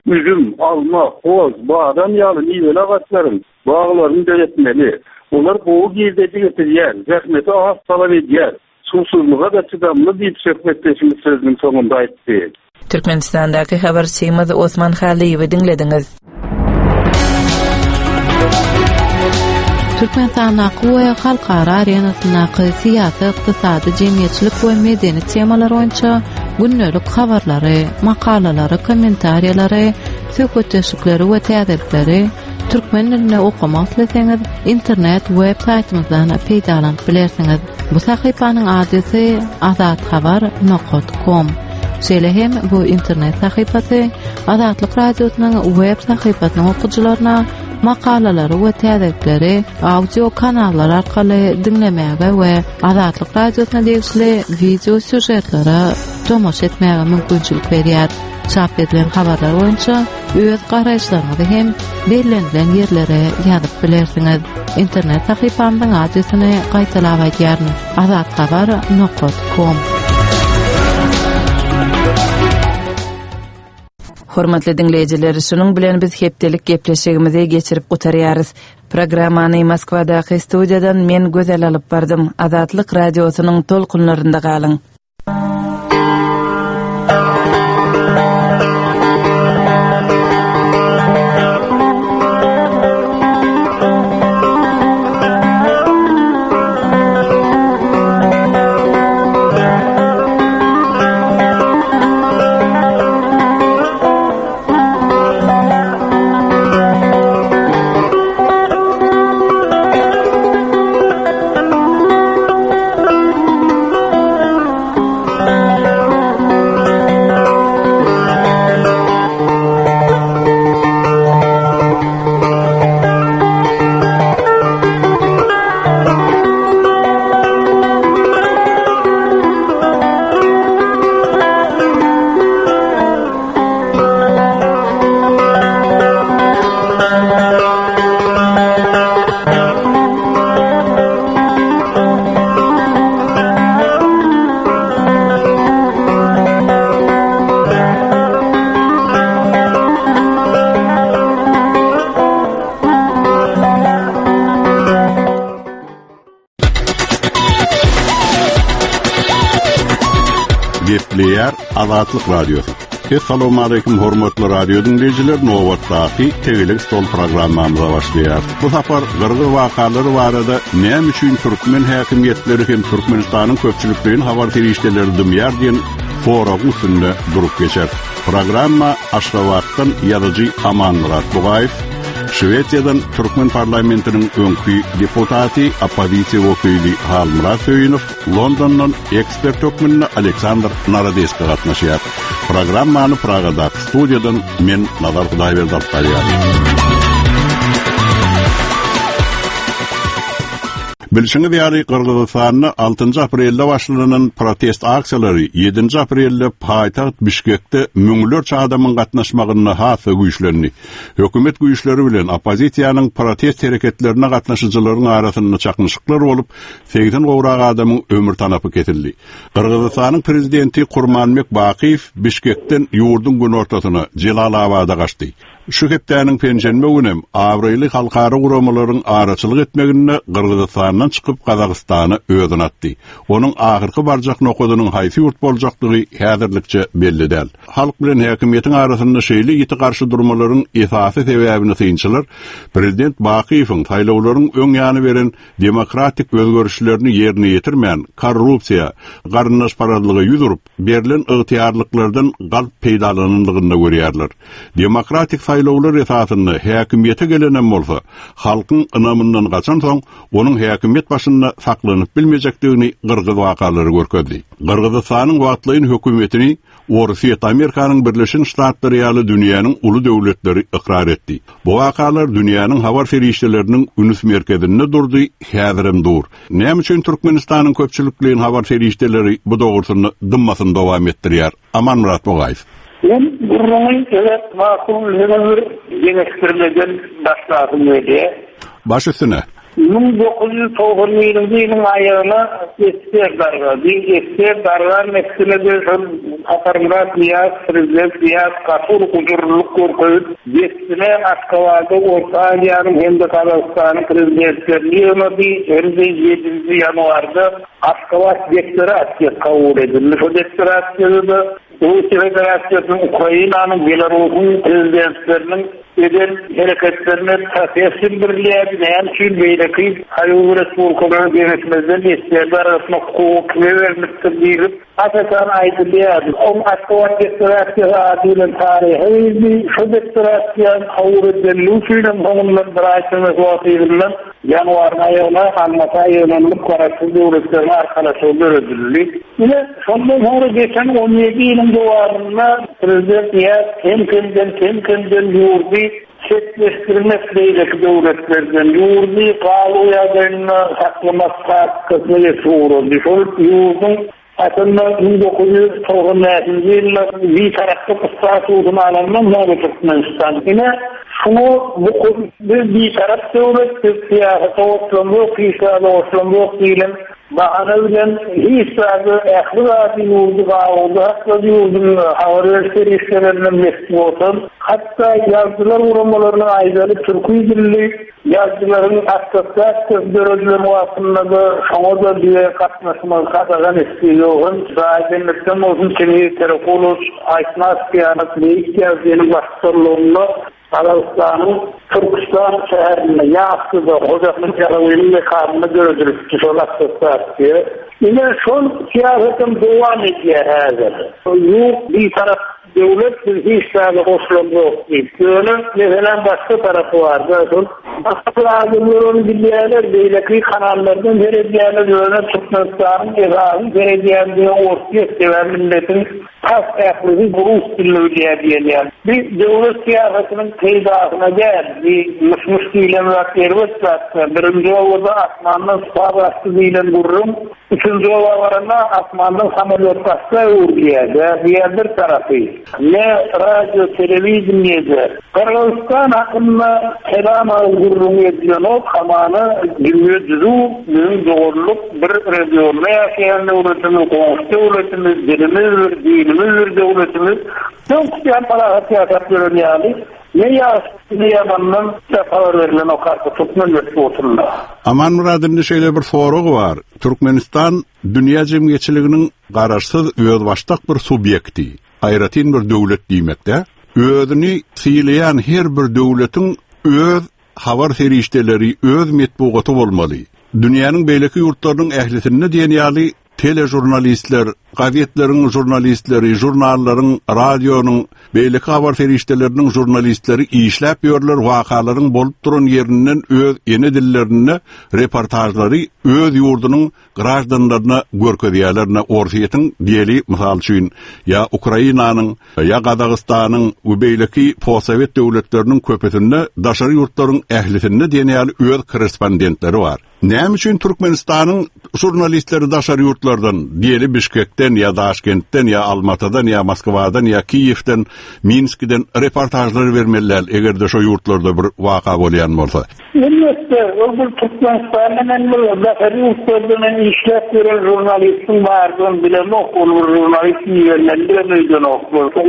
Üzüm, alma, hoz, badam ýaly miweli agaçlaryň baglaryny döretmeli. Olar gowy girdeji getirýär, zähmeti az talap edýär. Suwsuzlyga da çydamly diýip söhbetdeşimiz sözüniň soňunda aýtdy. Türkmenistandaky habarçymyz Osman Halyýewi diňlediňiz. Türkmenistandaky we halkara arenasyndaky syýasy, ykdysady, jemgyýetçilik we medeni temalar boýunça gündelik habarlary, makalalary, kommentariýalary, söhbetdeşlikleri we täzelikleri türkmen dilinde okamak isleseňiz, internet web saýtymyzdan peýdalanyp bilersiňiz. Bu sahypanyň adresi azathabar nokta com. Şeýle hem bu internet sahypasy Azatlyk Radiosynyň web sahypasynyň okyjylaryna makalalary we täzelikleri audio kanallar arkaly diňlemäge we Azatlyk Radiosyna degişli video sýužetlere tomaşa etmäge mümkinçilik berýär. Çap edilen habarlar boýunça öz garaýyşlaryňyzy hem bellenilen ýerlere ýazyp bilersiňiz. Internet sahypamyzyň adresini gaýtalap aýdýaryn: azathabar nokta com. Hormatly diňleýjiler, şunuň bilen biz hepdelik gepleşigimizi geçirip gutarýarys. Programmany Moskwadaky studiýadan men Gözel alyp bardym. Azatlyk radiosynyň tolkunlarynda galyň. Gepleýär Azatlyk Radiosy. Essalamu aleyküm hormatly radio dinleýjiler, nobatdaky Tegelek stol programmamyza başlaýar. Bu sapar Gyrgyz wakalary barada näme üçin türkmen häkimiýetleri hem Türkmenistanyň köpçülikleýin habar serişdeleri dymýar diýen soragyň üstünde durup geçer. Programma Aşgabatdan ýazyjy Amanmyrat Bugaýew, Şwesiýadan Türkmen parlamentiniň öňki deputaty, oppozisiýa wekili Halmyrat Söýünow, Londondan ekspert hökmünde Aleksandr Narodeski gatnaşýar. Programmany Pragadaky studiýadan men Nazar Hudaýberdi alyp barýar. Bilşiňiz ýaly Gyrgyzystanda altynjy aprelde başlanan protest aksiýalary ýedinji aprelde paýtagt Bişkekde müňlerçe adamyň gatnaşmagynda has güýçlendi. Hökümet güýçleri bilen oppozisiýanyň protest hereketlerine gatnaşyjylaryň arasynda çaknyşyklar bolup, segsen gowrak adamyň ömür tanapy kesildi. Gyrgyzystanyň prezidenti Kurmanbek Bakiýew Bişkekden ýurduň günortasyna Jelalabada gaçdy. Şu hepdäniň penşenbe günem abraýly halkara guramalaryň araçylyk etmeginde Gyrgyzystandan çykyp Gazagystana özüni atdy. Onuň ahyrky barjak nokadynyň haýsy ýurt boljakdygy häzirlikçe belli däl. Halk bilen häkimiýetiň arasynda şeýle ýiti garşy durmalaryň esasy sebäbini synçylar prezident Bakiýewiň saýlawlaryň öň ýany beren demokratik özgerişlerini ýerine ýetirmän, korrupsiýa, garyndaşparazlyga ýüz urup, berlen ygtyýarlyklardan galp peýdalananlygynda görýärler. Demokratik saýlawlar esasynda häkimiýete gelenem bolsa, halkyň ynamyndan gaçan soň, onuň häkimiýet başynda saklanyp bilmejekdigini Gyrgyz wakalary görkezdi. Gyrgyzystanyň wagtlaýyn hökümetini Orsýet, Amerikanyň Birleşen Ştatlary ýaly dünýäniň uly döwletleri ykrar etdi. Bu wakalar dünýäniň habar serişdeleriniň üns merkezinde durdy, häzirem dur. Näme üçin Türkmenistanyň köpçülikleýin habar serişdeleri bu dogrusyny dymmasyny dowam etdirýär? Amanmyrat Bugaýew. Men gurruňy evet makul bir deňeşdirmeden başlasym gelýär. Baş üstüne. Müň dokuz ýüz togsan birinji ýylyň aýagyna Ester dargady. Ester dargan üstüne de şol Saparmyrat Niýaz, prezident Niýaz gaty gujurlyk görkezip, dessine Aşgabatda Orta Aziýanyň hem-de Gazagystanyň prezidentlerini ýygnady. Hem-de ýedinji ýanwarda Aşgabat deklarasiýasy kabul edildi. Şu deklarasiýada Russiýa Federasiýasynyň, Ukrainanyň, Belarusyň prezidentleriniň eden hereketlerine protest bildirilýärdi. Näme üçin beýleki Soýuz respublikalary geňeşmezden esgerler arasynda hukuky kime berilipdir diýlip, asasan aýdylýardy. Oň Aşgabat deklarasiýasy ady bilen taryhy girdi. Şu deklarasiýanyň kabul edilmegi üçin hem soňundan bir aý çemesi wagt yzyndan ýanwaryň aýagyna Almata ýygnanyp garaşsyz döwletleriň arkalaşygy döredildi. Ine, şondan soňra geçen on ýedi ýylyň dowamynda prezident Niýaz kem-kemden, kem-kemden ýurdy çetleşdirmek beýleki döwletlerden, ýurdy galu ýagdaýynda saklamak taktikasyna geçip ugrady. Şol ýurduň aslynda müň dokuz ýüz togsan bäşinji ýylda bitaraplyk statusyny alandan soňra Türkmenistan. Ine, şunu bu biz bitarap döwlet, biz syýasata goşulamok, hiç zada goşulamok diýlen bahana bilen hiç zady, ähli zady ýurdy gawuda saklady, ýurduň habar beriş serişdelerinden metbugatdan, hatda ýazyjylar guramalarynyň aýdaly türki dilli ýazyjylaryň assosiasiýasy döredilen wagtynda-da şoňa da diýe gatnaşmagy gadagan etdi. Ýogyn Raýdemlikden bolsun Çingiz Terekulow Aýtmaz Kiýanat beýik ýazyjynyň baştutanlygynda Gazagystanyň Türkistan şäherinde Ýassyda Hoja Ahmet Ýasawynyň mekanynda döredilipdi şol assosiasiýa. Ine şol syýasatyň dowam edýär häzir. Ýurt bitarap döwlet biz hiç zada goşulamok diýip. Ýöne meselem başga tarapy bar. Şol başga adamlar ony bilýärler, beýleki kanallardan seredýärler, ýöne Türkmenistanyň esasy seredýändigi Orsýet sebäbi milletiň tas ählisi rus dilini bilýär diýilýär. Bir döwlet syýasatynyň peýdasyna däl, bir myş-myş diýlen zat erbet zat. Birinji owada asmandan suw basdy diýlen gürrüň, üçünji owa baranda asmandan samolýot basdy öwrülýär. Diýen bir tarapy. Ne radio, telewizyon Gyrgyzystan hakynda kelam agyz gürrüň edilenok, hamana dünýä düzüw, biziň dogrulyk bir regionda ýaşaýan döwletimiz, goňşy döwletimiz, dilimiz bir, dinimiz bir döwletimiz. Öňküden parahat ýaşap ýören ýaly. Ne ýagşy ne ýamandan habar berilenok artyk türkmen metbugatynda. Amanmyrat indi şeýle bir sorag bar. Türkmenistan dünýä jemgyýetçiliginiň garaşsyz özbaşdak bir subýekti, aýratyn bir döwlet diýmekde. Özüni sylaýan her bir döwletiň öz habar serişdeleri, öz metbugaty bolmaly. Dünýäniň beýleki ýurtlarynyň ählisinde diýen ýaly telejurnalistler, gazetleriň jurnalistleri, jurnallaryň, radionyň, beýleki habar serişdeleriniň jurnalistleri işläp ýörler, wakalaryň bolup duran ýerinden öz ene dillerinde reportajlary öz ýurdunyň grajdanlaryna görkezýärler. Orsýetiň diýeli, mysal üçin, ýa Ukrainanyň, ýa Gazagystanyň we beýleki postsowet döwletleriniň köpüsinde daşary ýurtlaryň ählisinde diýen ýaly öz korrespondentleri bar. Näme üçin Türkmenistanyň jurnalistleri daşary ýurtlardan, diýeli Bişkekden ýa Daşkentden ýa Almatadan ýa Moskwadan ýa Kiýewden, Minskiden reportajlar bermeliler, eger-de şo ýurtlarda bir waka bolýan bolsa? Elbetde, ol bir Türkmenistandan hem bir daşary ýurtlardan hem işläp ýören jurnalistiň bardygyny bilemok, ol bir jurnalist ibermeli bilen öýdenok.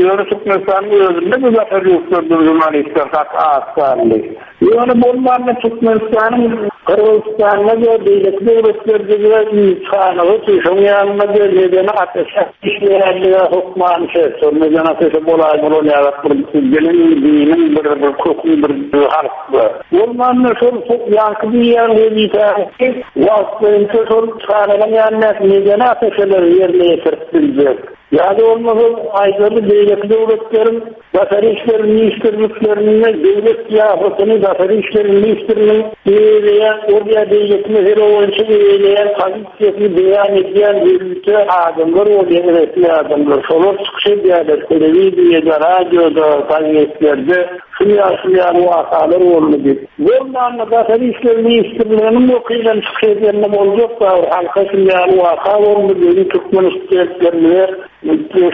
Ýöne Türkmenistanyň özünde bu daşary ýurtlardan jurnalistler gaty az sanly. Ýöne bolmanda Türkmenistanyň Gyrgyzystanda we beýleki döwletlerde de ilçihanaly şoň ýanynda bir medeni ateşe işleýänlige hökman şert. Şol medeni ateşe bolaý bolan ýaly bir diniň, diniň bir bir köküň bir halk bar. Bolmanda şol ýanky diýýän wezipäni wagtlaýynça şol çagalaryň ýanynda medeni ateşeleri ýerine ýetirip biljek. Ýa-da bolmasa aýdaly beýleki döwletleriň Daşary işler ministrliklerinde döwlet syýasatyny Daşary işler ministriniň eýeleýän ol ýa beýleki mesele boýunça eýeleýän pozisiýasyny beýan edýän ýörite adamlar bolýar, resmi adamlar. Şolar çykyş edýärler telewiziýada, radioda, gazetlerde. Şunu ýaly wakalar boldy diýip. Bolmanda Daşary işler ministrliginiň wekilleri çykyş edende boljak bar, halka şunu ýaly waka boldy diýip türkmen studentlerine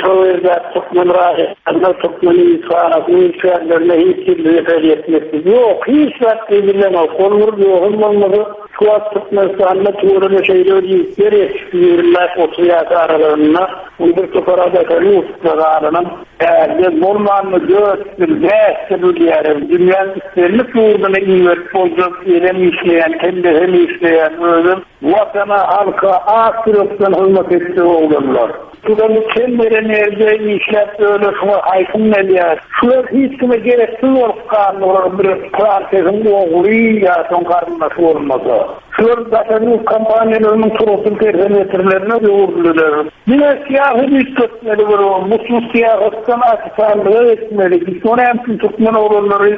şol ýerde türkmen raýatlaryna, türkmen ilçihanasynyň işgärlerine hiç bir zeper ýetmesi ýok. Hiç zat edilenok. Ol bir ýogum bolmasa, şu wagt Türkmenistanda tüweleme şeýle bir ýigitler ýetişdi, ýigrimi bäş otuz ýaş aralygynda bu bir topar daşary ýurtda galanam, ärde bolmanda dört ýyl, bäş ýyl bilýär. Dünýäniň islendik ýurduna iberip boljak, elem işleýän, kellesem işleýän, özüm watana, halka ak ýürekden hyzmat etjek oglanlar. Şular kem beren ýerde işläp öyle şuna haýsyn gelýär. Şular hiç kime gereksiz bolup galdylar, bir Fransiýanyň ogly ýa soň garyndaşy bolmasa. Şular daşary ýurt kompaniýalarynyň turasy terbiýeçilerine öwrüldiler. Diňe syýasy üýtgetmeli bir musulman syýasatdan açykanlyga etmeli. Biz ony hem türkmen oglanlary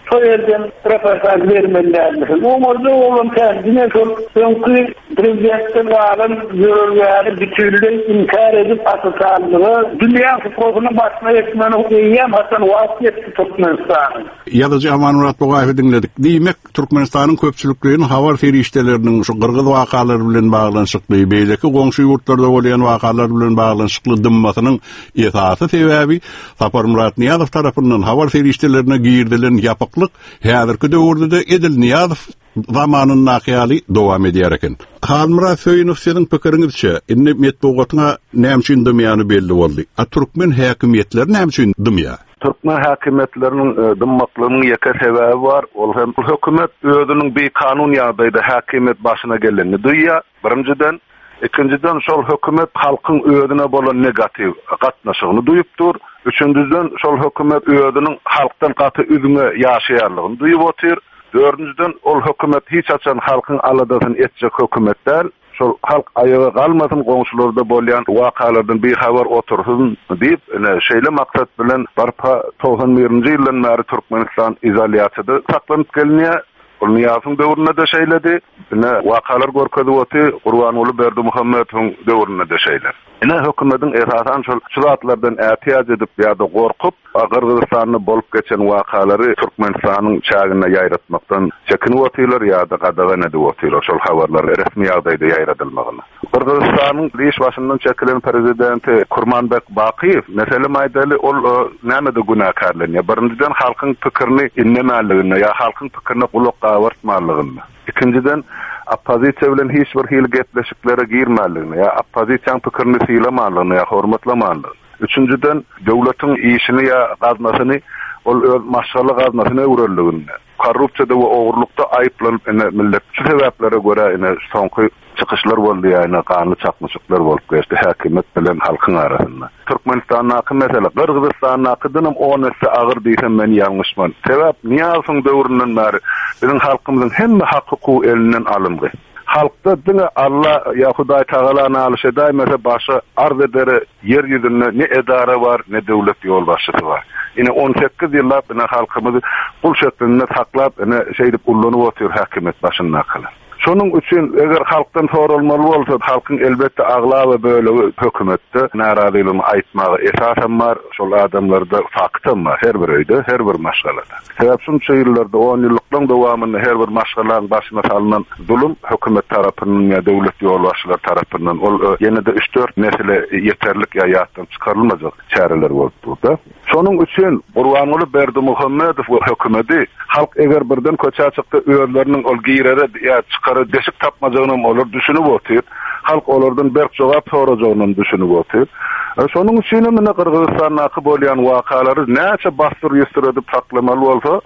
şo ýerden reportaj bermelilermiş. Oňarda oglan kendine şol öňki prezidentden galan ýörelgäni bütünleý inkar edip açykanlyga dünýä suprasynyň başyna etmeni eýýäm haçan wagt ýetdi Türkmenistanyň. Ýazyjy Amanmyrat Bugaýewi diňledik. Diýmek, Türkmenistanyň köpçülikleýin habar serişdeleriniň şu gyrgyz wakalary bilen baglanyşykly, beýleki goňşy ýurtlarda bolýan wakalar bilen baglanyşykly dymmasynyň esasy sebäbi Saparmyrat Nyýazow tarapyndan habar serişdelerine girdilen ýapyklyk häzirki döwürde-de Edil Nyýazow zamanyndaky ýaly dowam edýär eken. Halmyrat Söýünow siziň pikiriňizçe, indi metbugatyna näme üçin dymýany belli boldy. A türkmen häkimiýetleri näme üçin dymýar? Türkmen häkimiýetleriniň e, dymmaklygynyň ýeke sebäbi bar. Ol hem hökümet özüniň bir kanun ýagdaýda häkimiýet başyna gelenini duýýar. Birinjiden, ikinjiden şol hökümet halkyň özüne bolan negatiw gatnaşygyny duýup dur. Üçünjiden şol hökümet özüniň halkdan gaty üzňe ýaşaýanlygyny duýup otyr. Dördünciden ol hökümet hiç haçan halkyň aladasyny etjek hökümet däl. Şol halk aýaga galmasyn, goňşularda bolýan wakalardan bir habar otursyn diýip, ine şeýle maksat bilen barpa togsan birinji ýyldan bäri Türkmenistan izolýasiýada saklanyp gelinýär. Ol Nyýazowyň döwründe de şeýledi. Ine wakalar görkezip oty, Gurbanguly Berdimuhamedowyň döwründe de şeýle. Ine hökümetiň esasan şol şu zatlardan ätiýaç edip ýa-da gorkup, Gyrgyzystanda bolup geçen wakalary Türkmenistanyň çäginde ýaýratmakdan çekinip otylar ýa-da gadagan edip otylar şol habarlary resmi ýagdaýda ýaýradylmagyny. Gyrgyzystanyň iş başyndan çekilen prezidenti Kurmanbek Bakyýew meselem aýdaly ol e, nämede günäkärlenýär? Birinjiden halkyň pikirini inlemänliginde ýa halkyň pikirine gulak gabartmanlygynda. Ikinjiden oppozisiýa bilen hiç bir hili gepleşiklere girmänligine ýa oppozisiýanyň pikirini sylamanlygyna ýa hormatlamanlygyna. Üçünjiden döwletiň işini ýa gaznasyny Ol öz maşgala gaznasyna öwrüldiginde, korrupsiýada we ogurlykda aýyplanyp ine millet şu sebäplere görä ine soňky çykyşlar boldy ýa ganly çaknyşyklar bolup geçdi häkimiýet bilen halkyň arasynda. Türkmenistandaky mesele Gyrgyzystandakydanam on esse agyr diýsem men ýalňyşman. Sebäp Niýazowyň döwründen bäri biziň halkymyzyň hemme hak hukugy elinden alyndy. Halkda diňe Allah ýa Hudaý Tagala nalyş edäýmese başa arz edere ýer ýüzünde ne edara bar, ne döwlet ýolbaşçysy bar. Ine on sekiz ýyllap ine halkymyzy gul şeklinde saklap ine şeýdip ullanyp otyr häkimiýet başyndakylar. Şonuň üçin eger halkdan sorulmaly bolsa, halkyň elbetde aglaba bölegi hökümetde narazylygyny aýtmaga esasam bar, şol adamlarda faktam bar her bir öýde, her bir maşgalada. Sebäp şunça ýyllarda on ýyllyklaryň dowamynda her bir maşgalaň başyna salynan zulum hökümet tarapyndan ýa döwlet ýolbaşçylary tarapyndan ol ýene-de üç dört mesele ýeterlik ýa ýatdan çykarylmajak çäreler bolup durdy. Şonuň üçin Gurbanguly Berdimuhamedow we hökümeti halk eger birden köçä çykdy özleriniň ol girere ýa çykara deşik tapmajagyny olar düşünip otyr. Halk olardan berk jogap sorajagyny düşünip otyr. Şonuň üçin hem ine Gyrgyzystandaky bolýan wakalary näçe basdyr ýüstür edip saklamaly bolsa,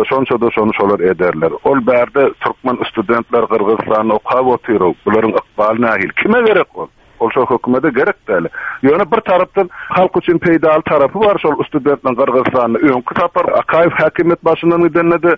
şonça da şony şolar ederler. Ol bärde türkmen studentler Gyrgyzystanda okap otyr. Bularyň ykbaly nähili? Kime gerek ol? Ol şo hökümete gerek däl. Ýöne bir tarapdan halk üçin peýdaly tarapy bar şol studentleň Gyrgyzystanda öňki sapar Akaýew häkimiýet başyndan gidende de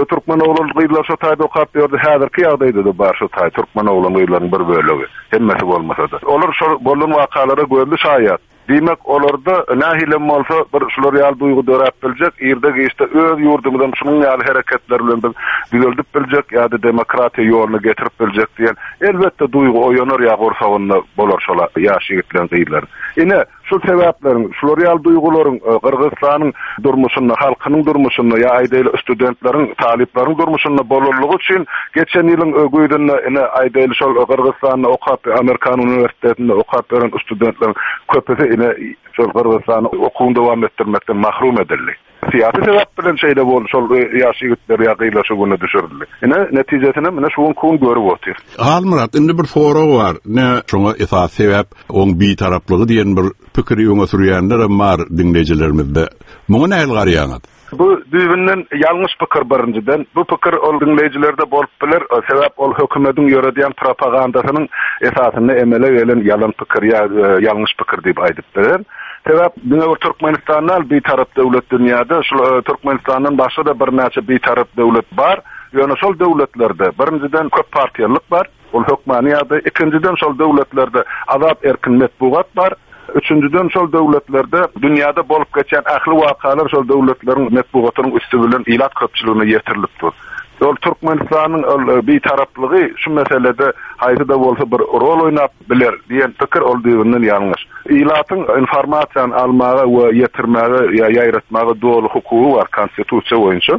türkmen oglan gyzlar şo taýda okap ýördi. Häzirki ýagdaýda da bar şo taý türkmen oglan gyzlaryň bir bölegi. Hemmesi bolmasa da. Olar şol bolan wakalara gözli şaýat. Diýmek olarda nähilem bolsa bir şular ýaly duýgy döräp biljek, irde geçde öz ýurdumyzdan şunuň ýaly hereketler bilen biz düzeldip biljek ýa-da demokratiýa ýoluna getirip biljek diýen elbetde duýgy oýanar ýa gursagynda bolar şola ýaş ýigitleň gyzlar. Ine şu sebäpleriň, şular ýaly duýgularyň Gyrgyzystanyň durmuşynda, halkynyň durmuşynda ýa aýdaýly studentleriň, talyplaryň durmuşynda bolanlygy üçin geçen ýylyň güýzünde ine aýdaýly şol Gyrgyzystanda okap, Amerikan uniwersitetinde okap beren studentleriň köpüsi ine şol Gyrgyzystanda okuwyny dowam etdirmekden mahrum edildi. Syýasy sebäp bilen şeýle boldy, şol ýaş ýigitler ýa gyzlar şu güne düşürildi. Ine netijesini mine şu gün görüp otyr. Halmyrat, indi bir sorag bar. Ne şoňa esas sebäp oň bitaraplygy diýen bir pikiri öňe sürýänler hem bar diňleýjilerimizde. Muňa nähili garaýaňyz? Bu düýbünden ýalňyş pikir birinjiden. Bu pikir ol diňleýjilerde bolup biler. Sebäp ol hökümetiň ýöredýän propagandasynyň esasynda emele gelen ýalan pikir ýa ýalňyş pikir diýip aýdyp biler. Sebäp diňe bir Türkmenistanda bitarap döwlet dünýäde, şul Türkmenistandan başga da birnäçe bitarap döwlet bar. Ýöne şol döwletlerde birinjiden köp partiýalyk bar. Ol hökmany ýa-da ikinjiden şol döwletlerde azat erkin metbugat bar. Üçüncüden şol döwletlerde dünýäde bolup geçen ähli wakalar şol döwletleriň metbugatynyň üstü bilen ilat köpçüligine ýetirilip dur. Ol Türkmenistanyň ol bitaraplygy şu meselede haýsy da bolsa bir rol oýnap biler diýen pikir ol düýbünden ýalňyş. Ilatyň informasiýany almaga we ýetirmäge ýa ýaýratmaga doly hukugy bar konstitusiýa boýunça.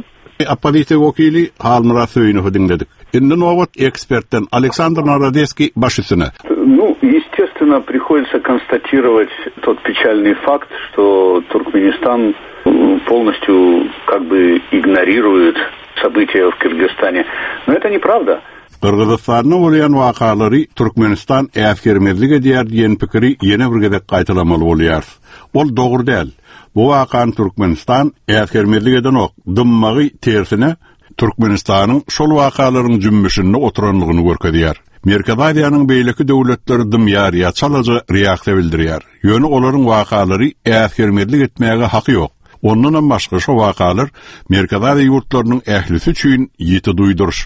Oppozisiýa wekili Halmyrat Söýünowy diňledik. Indi nobat ekspertden Aleksandr Narodeskiý baş üstüne. Ну, естественно, приходится констатировать тот печальный факт, что Туркменистан полностью как бы игнорирует события в Кыргызстане. Но это неправда. Gyrgyzystanda bolýan wakalary Türkmenistan äsgermezlik edýär diýen pikiri ýene bir gezek gaýtalamaly bolýar. Ol dogry däl. Bu wakan Türkmenistan äsgermezlik edenok, dymmagy tersine Türkmenistanyň şol wakalaryň jümmüşinde oturanlygyny görkezýär. Merkezi Aziýanyň beýleki döwletleri dymýar ýa çalaja reaksiýa bildirýär. Ýöne olaryň wakalary äsgermezlik etmäge haky ýok. Ondan hem başga şu wakalar Merkezi Aziýa ýurtlarynyň ählisi üçin ýiti duýduryş.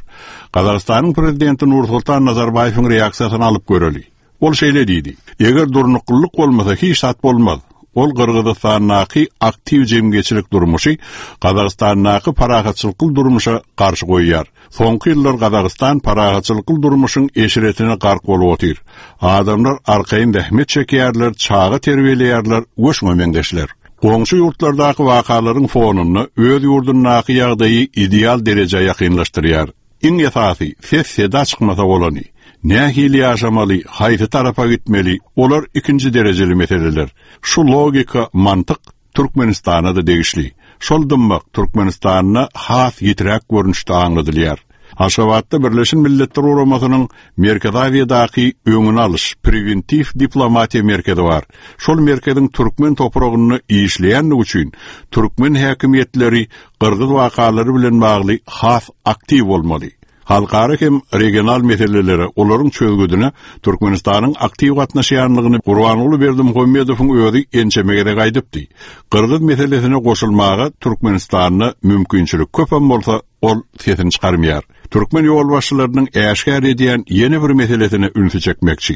Gazagystanyň prezidenti Nursultan Nazarbaýewiň reaksiýasyny alyp göreli. Ol şeýle diýdi: Eger durnuklylyk bolmasa hiç zat bolmaz. Ol Gyrgyzystandaky aktiw jemgyýetçilik durmuşy Gazagystandaky parahatçylykly durmuşa garşy goýýar. Soňky ýyllar Gazagystan parahatçylykly durmuşyň eşretine gark bolup otyr. Adamlar arkaýyn zähmet çekýärler, çaga terbiýeleýärler we şuňa meňzeşler. Goňşy ýurtlardaky wakalaryň fonunda öz ýurdundaky ýagdaýy ideal derejä ýakynlaşdyrýar. Iň esasy ses seda çykmasa bolany. Nähili ýaşamaly, haýsy tarapa gitmeli, olar ikinji derejeli meseleler. Şu logika, mantyk Türkmenistana da degişli. Şol dymmak Türkmenistanda has ýitiräk görnüşde aňladylýar. Aşgabatda Birleşen Milletler Guramasynyň Merkezi Aziýadaky öňüni alyş prewentiw diplomatiýa merkezi bar. Şol merkeziň türkmen topragynda işleýänligi üçin türkmen häkimiýetleri gyrgyz wakalary bilen bagly has aktiw bolmaly. Halkara hem regional meselelere, olaryň çözgüdine Türkmenistanyň aktiw gatnaşýanlygyny Gurbanguly Berdimuhamedowyň özi ençeme gezek aýdypdy. Gyrgyz meselesine goşulmaga Türkmenistanda mümkinçilik köpem bolsa, ol sesini çykarmaýar. Türkmen ýolbaşçylarynyň äşgär edýän ýene bir meselesine ünsi çekmekçi.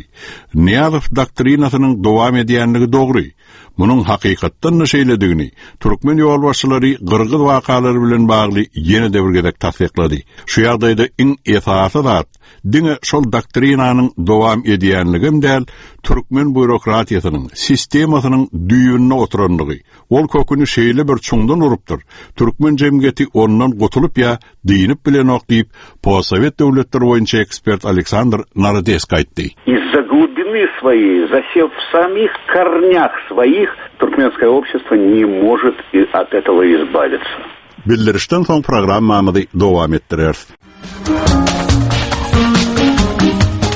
Nyýazow doktrinasynyň dowam edýänligi dogry. Munuň hakykatdan da şeýledigini türkmen ýolbaşçylary gyrgyz wakalary bilen bagly ýene de bir gezek tassyklady. Şu ýagdaýda iň esasy zat diňe şol doktrinanyň dowam edýänligem däl, türkmen býurokratiýasynyň sistemasynyň düýbünde oturanlygy. Ol köküni şeýle bir çuňdan urupdyr. Türkmen jemgyýeti ondan gutulyp ýa diýinip bilenok diýip, postsowet döwletleri boýunça ekspert Aleksandr Narodesk aýtdy. Из-за глубины своей, засев в самих корнях своих, туркменское общество не может от этого избавиться. Bildirişden soň programmamyzy dowam etdireris.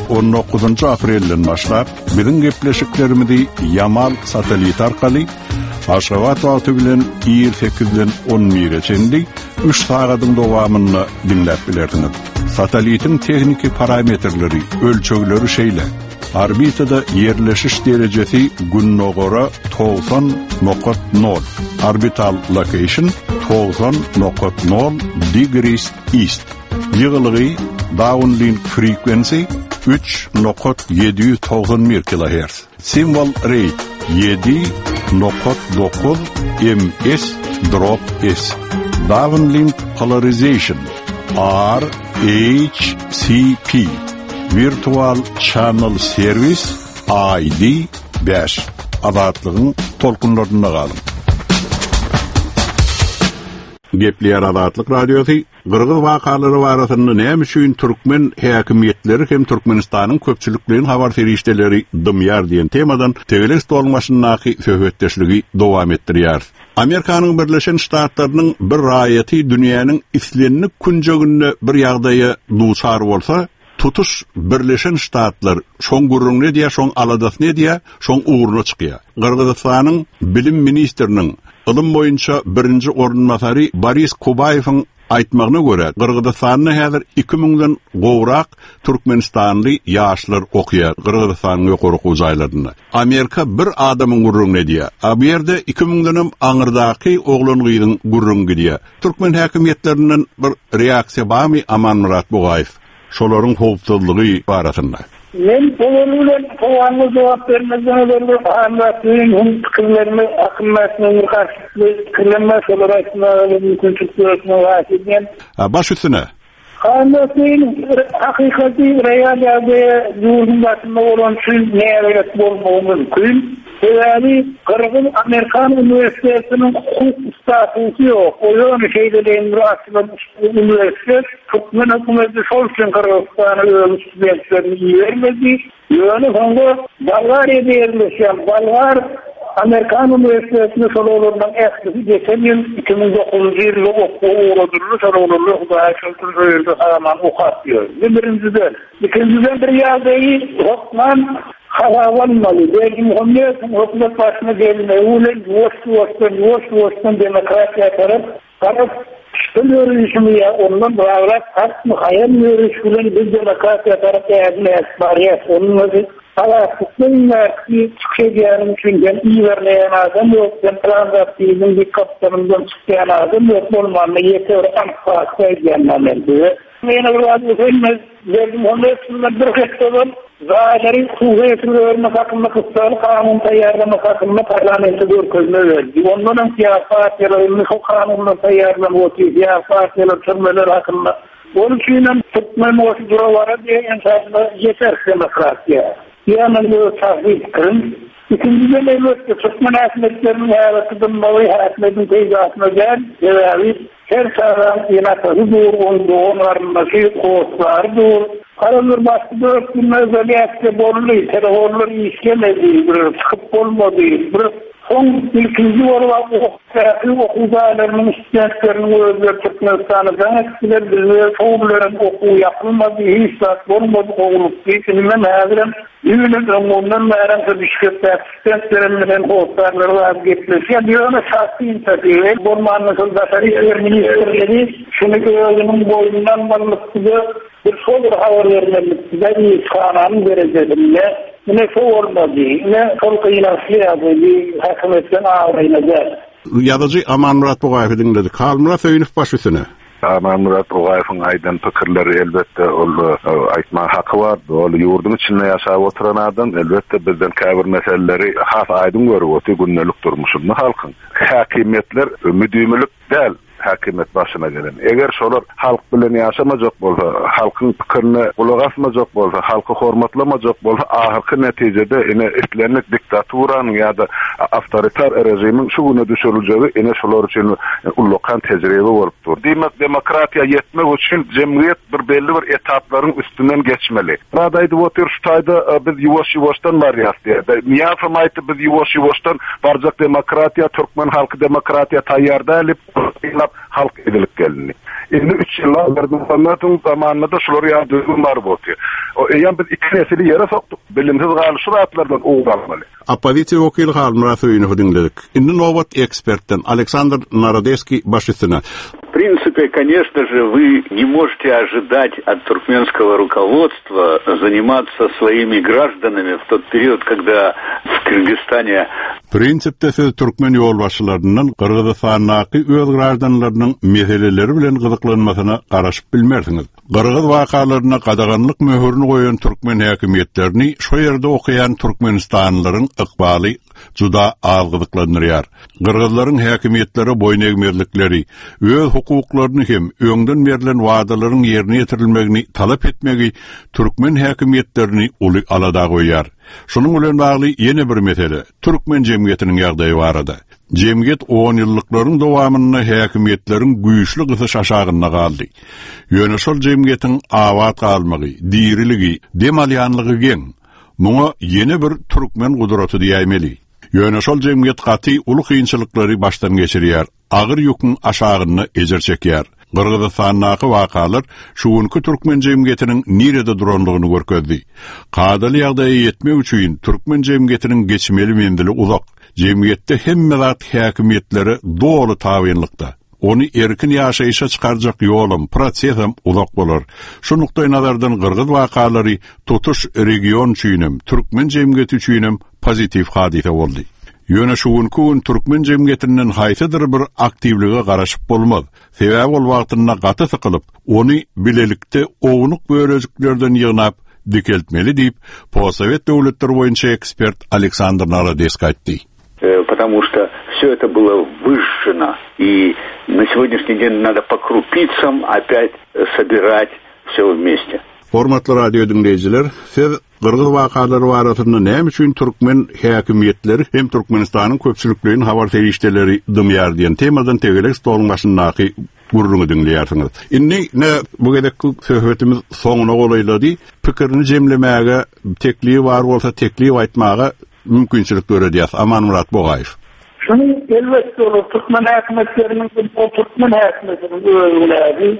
on dokuzynjy aprelden başlap biziň gepleşiklerimizi Yamal satelit arkaly Aşgabat wagty bilen ir sekizden on bire çenli üç sagadyň dowamynda diňläp bilersiňiz. Satelitiň tehniki parametrleri, ölçegleri şeýle. Orbitada yerleşiş derejesi Günnogora togsan nokat nol. Orbital location togsan nokat nol degrees east. Ýygylygy downlink frequency üç nokat ýedi ýüz togsan bir kilohertz. Symbol rate ýedi nokat dokuz M S drop S. Downlink polarization R H C P. Virtual Channel Service I D bäş. Azatlygyň tolkunlarynda galyň. Gepleýär Azatlyk Radiosy Gyrgyz wakalary barasynda näme üçin türkmen häkimiýetleri hem Türkmenistanyň köpçülikleýin habar serişdeleri dymýar diýen temadan tegelek stoluň başyndaky söhbetdeşligi dowam etdirýär. Amerikanyň Birleşen Ştatlarynyň bir raýaty dünýäniň islendik künjeginde bir ýagdaýa duçar bolsa, tutuş Birleşen Ştatlar şoň gürrüňini edýär, şoň aladasyny edýär, şoň ugruna çykýar. Gyrgyzystanyň bilim ministriniň ylym boýunça birinji orunbasary Boris Kubaýewiň aýtmagyna görä, Gyrgyzystanda häzir iki müňden gowrak Türkmenistanly ýaşlar okuýar Gyrgyzystanyň ýokary okuw jaýlarynda. Amerika bir adamyň gürrüňini edýär. A bu ýerde iki müňdenem aňyrdaky oglan gyzyň gürrüňi gidýär. Türkmen häkimiýetlerinden bir reaksiýa barmy Amanmyrat Bugaýew? Şolaryň howpsuzlygy barasynda. Men olar bilen sowalyna jogap bermezden ozal bir Amanmyrat pikirlerimi akylmatmagyň garşysyny pikirlenme, şolara aýtmaga mümkinçilik döretmegi haýyş edýän. A, baş üstüne. Amanmyrat hakykaty real ýagdaýa ýurduň başynda bolan üçin nägeýet bolmagy mümkin. Sebäbi Gyrgyz Amerikan Uniwersitetiniň hukuk statusy ýok. O ýöne şeýle bir açylan uniwersitet türkmen hökümeti şol üçin Gyrgyzystana öz studentlerini ibermedi. Ýöne soňra Bolgariýada ýerleşen Bolgar Amerikan Uniwersitetini şol oglanlaryň ählisi geçen ýyl iki müň dokuzunjy ýylda okuwa ugradyldy. Şol oglanlar Hudaýa şükür şo ýerde sagaman okap ýör. Bu birinjiden. Ikinjiden bir ýagdaýy hökman hasaba almaly. Berdimuhamedowyň hökümet başyna gelmegi bilen ýuwaş-ýuwaşdan, ýuwaş-ýuwaşdan demokratiýa tarap garap şol ýörüşini ýa ondan bagrak hatmy haýal ýörüş bilen biz demokratiýa tarap ädim ädip barýar. Onuň özi Azatlyk çykyş edýänim üçin ben iberleýän adam ýok, ben plan zat diýdim, bir kaptanymdan çykýan adam ýok, bolmanda ýeke bir anyk fakty aýdýan men size. Ýene bir zat öýlenmez, Berdimuhamedowdan bir hepde ozal zaýlary hukuky öwrenmek hakynda gyssagly kanun taýýarlamak hakynda parlamente görkezme berdi. Ondan hem syýasy partiýalar indi şu kanunlar taýýarlanyp otyr, syýasy partiýalar türmeler hakynda. Onun üçin hem türkmen bolşy durawara diýen ensasynda ýeter demokratiýa. Ýagny bu şahsy pikirim. Ikinjiden elbetde türkmen häkimiýetleriniň häzirki dymmagy häkimiýetiň peýdasyna däl, sebäbi her çagaň ene-atasy dur, onuň dogan garyndaşy, hossary dur. Garaz başky dört günde izolýasiýa boldy, telefonlar işlemedi, bir çykyp bolmady, bir Soň ilkinji bolup okuw jaýlarynyň studentleriniň özleri Türkmenistana jaň etdiler, bizde şowlaryň okuw ýapylmady, hiç zat bolmady, gowlukdy. Indi häzirem ýüňün öňünden bäri şu Bişkekdäki studentlerim bilen hossarlary bar gepleşýän. Ýöne şahsy inisiatiwa bolmandan şol daşary işler ministrligi şuny özüniň boýnundan almalydy, bir şol bir habar bermelidi, ilçihananyň derejesinde. Ine şo bolmady. Ine şol gynançly ýagdaý häkimiýetden abraýyna däl. Ýazyjy Amanmyrat Bugaýewi diňledik. Halmyrat Söýünow baş üstüne. Amanmyrat Bugaýewiň aýdan pikirleri elbetde ol aýtma haky bar. Ol ýurduň içinde ýaşap oturan adam elbetde bizden käbir meseleleri has aýdyň görüp otyr gündelik durmuşynda halkyň. Häkimiýetler müdimilik däl häkimiýet başyna gelen. Eger şolar halk bilen ýaşamajak bolsa, halkyň pikirine gulak asmajak bolsa, halky hormatlamajak bolsa, ahyrky netijede ine islendik diktaturanyň ýa-da awtoritar režimiň şu güne düşüriljegi ine şolar üçin ullakan tejribe bolup dur. Diýmek, demokratiýa ýetmek üçin jemgyýet bir belli bir etaplaryň üstünden geçmeli. Rad aýdyp otyr, şu taýda biz ýuwaş-ýuwaşdan barýas diýdi. Niýazam aýtdy, biz ýuwaş-ýuwaşdan barjak demokratiýa, türkmen halky demokratiýa taýýar däl diýip, halk edilip gelindi. Indi üç ýyl Berdimuhamedowyň zamanynda da şular ýaly düzgün bar boldy. O eýen biz iki nesili ýere sokduk. Bilimsiz galy şu zatlardan ugur almaly. Oppozisiýa wekili Halmyrat Söýünowy diňledik. Indi nobat ekspertden Aleksandr Narodeskiý baş üstüne. В принципе, конечно же, вы не можете ожидать от туркменского руководства заниматься своими гражданами в тот период, когда в Кыргызстане Prinsipde siz türkmen ýolbaşçylaryndan Gyrgyzystandaky öz graždanlarynyň meseleleri bilen gyzyklanmasyna garaşyp bilmersiňiz. Gyrgyz wakalaryna gadaganlyk möhürini goýan türkmen häkimiýetlerini şu ýerde okaýan Türkmenistanlylaryň ykbaly juda az gyzyklandyrýar. Gyrgyzlaryň häkimiýetleri boýun egmezlikleri, öz hukuklaryny hem öňden berlen wadalaryň ýerine ýetirilmegini talap etmegi türkmen häkimiýetlerini uly alada goýýar. Şunuň bilen bagly ýene bir mesele türkmen jemgyýetiniň ýagdaýy barada. Jemgyýet on ýyllyklaryň dowamynda häkimiýetleriň güýçli gysyş aşagynda galdy. Ýöne şol jemgyýetiň abat galmagy, diriligi, dem alýanlygy geň. Muňa ýene bir türkmen gudraty diýäýmeli. Ýöne şol jemgyýet gaty uly kynçylyklary başdan geçirýär. Agyr ýüküň aşagynda ejir çekýär. Gyrgyzystandaky wakalar şu günki türkmen jemgyýetiniň nirede duranlygyny görkezdi. Kadaly ýagdaýa ýetmek üçin türkmen jemgyýetiniň geçmeli menzili uzak. Jemgyýetde hemme zat häkimiýetlere doly tabynlykda. Ony erkin ýaşaýşa çykarjak ýolum, prosesem uzak bolar. Şu nukdaý nazardan Gyrgyz wakalary tutuş region üçinem, türkmen jemgyýeti üçinem pozitiv hadysa boldy. Ýöne şu günki gün türkmen jemgyýetinden haýsydyr bir aktiwlige garaşyp bolmaz. Sebäbi ol wagtynda gaty sykylyp, ony bilelikde ownuk bölejiklerden ýygnap dikeltmeli diýip, Postsowet döwletleri boýunça ekspert Aleksandr Narodeskiý aýtdy. Потому что все это было выжжено, и на сегодняшний день надо по крупицам опять собирать все вместе. Hormatly radio diňleýjiler, siz Gyrgyz wakalary barasynda näme üçin türkmen häkimiýetleri hem Türkmenistanyň köpçülikleýin habar serişdeleri dymýar diýen temadan tegelek stoluň başyndaky gürrüňi diňleýärsiňiz. Indi ne bu gezekki söhbetimiz soňuna golaýlady. Pikirini jemlemäge teklibi bar bolsa teklip aýtmaga mümkinçilik döredýär. Amanmyrat Bogaýew. Şunuň elbetde olar türkmen häkimiýetleriniň bu türkmen häkimiýetiniň özüne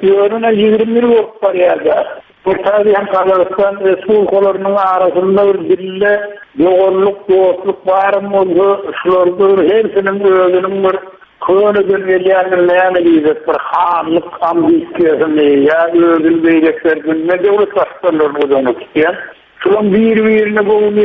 ýörüne ýigrimi ýyl bolup barýar. Bu tabi hem Gazagystan respublikalarynyň arasynda bir bille doganlyk, dostluk barym bolsa, şularda bir hersiniň özüniň bir köneden gelýän näme diýjek bir hanlyk ambisiýasyny ýa özüni beýleklerden döwlet baştutanlaryny göz öňünde tutýan. Şulan bir-birine göwün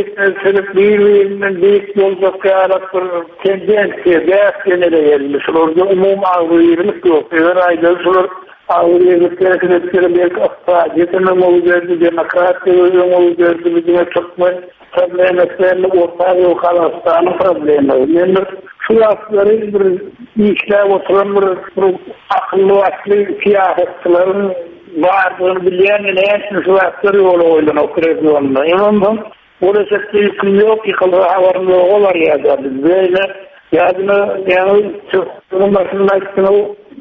bir-birinden beýik boljak ýaly bir tendensiýa, bäs genele geldi. Şularda umumy agzybirlik ýok. Eger aýdaly şular agzybirlik hereket etseler, belki ykdysadyýet öňe giderdi, demokratiýa öňe giderdi, diňe türkmen problemleri Orta Aziýa Gazagystanyň problemi. Men bir şu wagtlary bir işläp oturan bir, bir akylly başly syýasatçylaryň bardygyny bilýän näme şu wagtlar ýola goýlan o regionda. Ondan gelecekde ýüküm ýok, ýykylgy habarym ýok olar ýa-da biz beýle ýa-da ýaňy Türkmeniň başynda aýtdyň,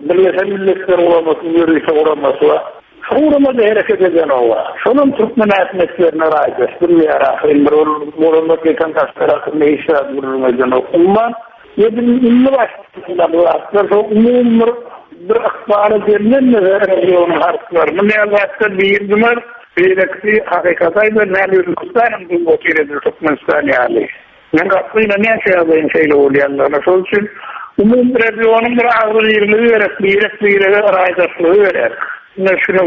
Birleşen Milletler Guramasynyň ýörite guramasy bar. Şu guramada hereket eden o bar. Şonuň türkmen häkimiýetlerine raýdaş bilýär ahyryn bir ol gurama geçen taşlar hakynda hiç zat gürrüň edenok. Umuman Indi başlandy. Şo umumy bir ykbala gelinmedi regionyň halklaryny. Näzatda birdiler, beýlekisi hakykata näme Özbegistan'ın bu otyr Türkmenistan ýaly. Men gatlyna näçe ýagdaýyň şeýle bolýandygyny, şol üçin umumy regionyň bir agzybirligi gerek, birek birege raýdaşlygy gerek. Ne şunu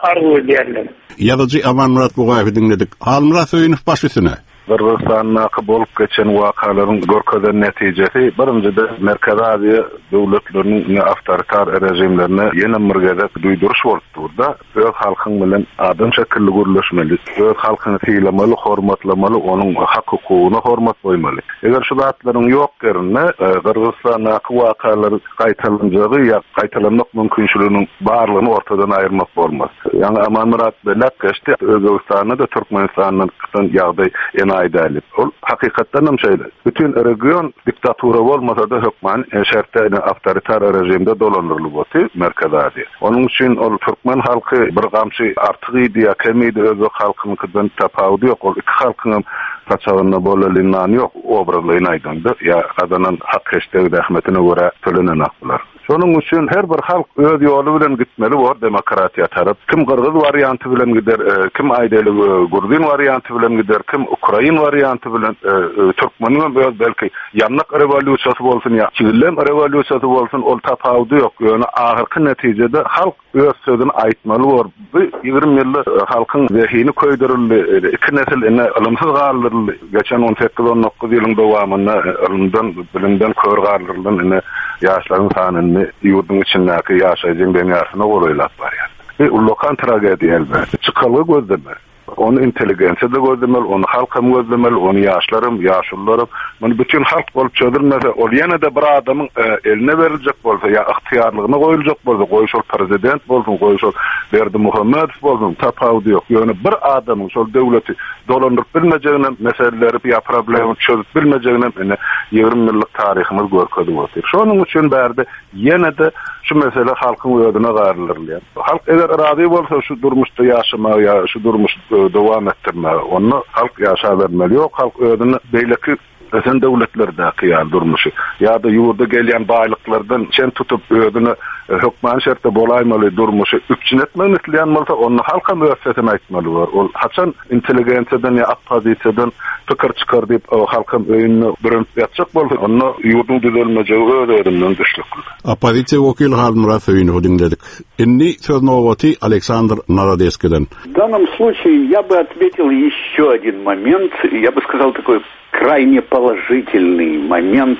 arzuw edýärler. Ýazyjy Amanmyrat Bugaýewi diňledik. Halmyrat Söýünow baş üstüne. Gyrgyzystandaky bolup geçen wakalaryň görkezen netijesi birinjide Merkezi Aziýa döwletleriniň awtoritar rejimlerine ýene bir gezek duýduryş bolup durda. Öz halkyň bilen adam şekilli gürleşmeli, öz halkyny sylamaly, hormatlamaly, onuň hak hukugyna hormat goýmaly. Eger şu zatlaryň ýok ýerinde e, Gyrgyzystandaky wakalar gaýtalanjagy ýa gaýtalanmak mümkinçiliginiň barlygyny ortadan aýyrmak bolmaz. Ýani Amanmyrat belläp geçdi, Özbegistanda da Türkmenistandan ýagdaý enaýy däl. Ol hakykatdan hem şeýle. Bütün region diktatura bolmasa da hökman e, şertde awtoritar rejimde dolandyrylyp oty Merkezi Aziýa. Onuň üçin ol türkmen halky bir gamçy artyk idi ýa kemidi özbek halkynyňkydan tapawudy ýok. Ol iki halkyň hem saçagynda bolalyn nany ýok, obrazlaýyn aýdanda ýa gazanan hak heşdegi zähmetine görä tölenen aklar. Şonuň üçin her bir halk öz ýoly bilen gitmeli bor demokratiýa tarap. Kim gyrgyz warianty bilen gider, e, kim aýdaly e, gurdin warianty bilen gider, kim ukrain warianty bilen, e, türkmeniň hem öz belki ýanlyk rewolýusiýasy bolsun ýa çigillem rewolýusiýasy bolsun, ol tapawudy ýok. Ýöne ahyrky netijede halk öz sözüni aýtmaly bor. Bu ýigrimi ýylda halkyň zehini köýdürildi, iki nesil ine ylymsyz galdyryldy. Geçen on sekiz on dokuz ýylyň dowamynda ylymdan, bilimden kör galdyrylan ine ýaşlaryň sanyny ýurduň içindäki ýaşaýjyň deňärsine golaýlap barýar. Bu ullakan tragediýa elbetde. Çykalga gözlemeli. Onu intelligensiýa da gözlemeli, onu halk hem gözlemeli, onu ýaşlarym, ýaşulularym. Muny bütün halk bolup çözülmese, ol ýene de bir adamyň e, eline beriljek bolsa ýa ygtyýarlygyna goýuljak bolsa, goý şol prezident bolsun, goý şol Berdimuhamedow bolsun, tapawudy ýok. Ýöne bir adamyň şol döwleti dolandyryp bilmejegine, meseleleri ýa problemi çözüp bilmejegine ine ýigrimi ýyllyk taryhymyz görkezip otyr. Şonuň üçin bärde ýene de şu mesele halkyň özüne galdyrylýar. Halk eger razy bolsa şu durmuşda ýaşamaga ýa şu durmuş dowam etdirmäge, onda halk ýaşa bermeli. Ýok, halk özüni beýleki ösen döwletlerdäki ýa durmuşy ýa-da ýurda gelýän baýlyklardan çen tutup özüne hökman şertde bolaýmaly durmuşy üpjün etmegini isleýän bolsa, onda halk hem öz sesini aýtmaly bor. Ol haçan intelligensiýadan ýa oppozisiýadan pikir çykar diýip, halk hem öýünde bürünip ýatjak bolsa, onda ýurduň düzelmejegi öz-özünden düşnükli. Oppozisiýa wekili Halmyrat Söýünowy diňledik. Indi söz nowaty Aleksandr Narodeskiden. В данном случае я бы отметил еще один момент, я бы сказал такой крайне положительный момент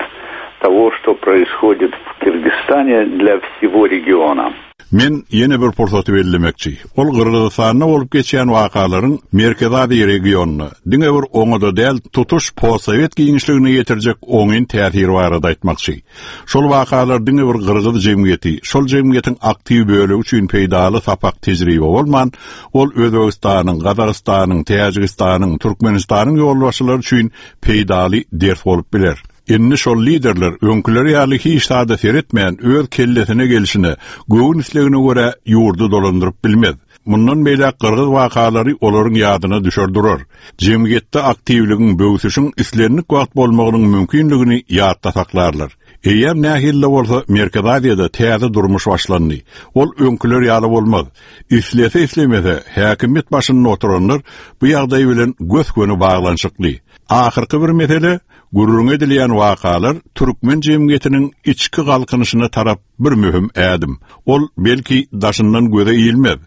того, что происходит в Кыргызстане для всего региона. Men ýene bir pursaty bellemekçi. Ol Gyrgyzystanda bolup geçýän wakalaryň Merkezi Aziýa regionyna diňe bir oňada däl, tutuş postsowet giňişligine ýetirjek oňyn täsiri barada aýtmakçy. Şol wakalar diňe bir Gyrgyz jemgyýeti, şol jemgyýetiň aktiw bölegi üçin peýdaly sapak tejribe bolman, ol Özbegistanyň, Gazagystanyň, Täjigistanyň, Türkmenistanyň ýolbaşçylary üçin peýdaly ders bolup biler. Indi şol liderler öňküleri ýaly hiç zada seretmän öz kellesine gelişine, göwün islegine görä ýurdy dolandyryp bilmez. Mundan beýläk Gyrgyz wakalary olaryň ýadyna düşer durar. Jemgyýetde aktiwligiň, böwsüşiň islendik wagt bolmagynyň mümkinligini ýatda saklarlar. Eýem nähili bolsa Merkezi Aziýada täze durmuş başlandy. Ol öňküler ýaly bolmaz. Islese islemese häkimiýet başynda oturanlar bu ýagdaý bilen gös-göni baglanyşykly. Ahyrky bir mesele gürrüň edilýän wakalar türkmen jemgyýetiniň içki galkynyşyna tarap bir möhüm ädim. Ol belki daşyndan göze ilmez,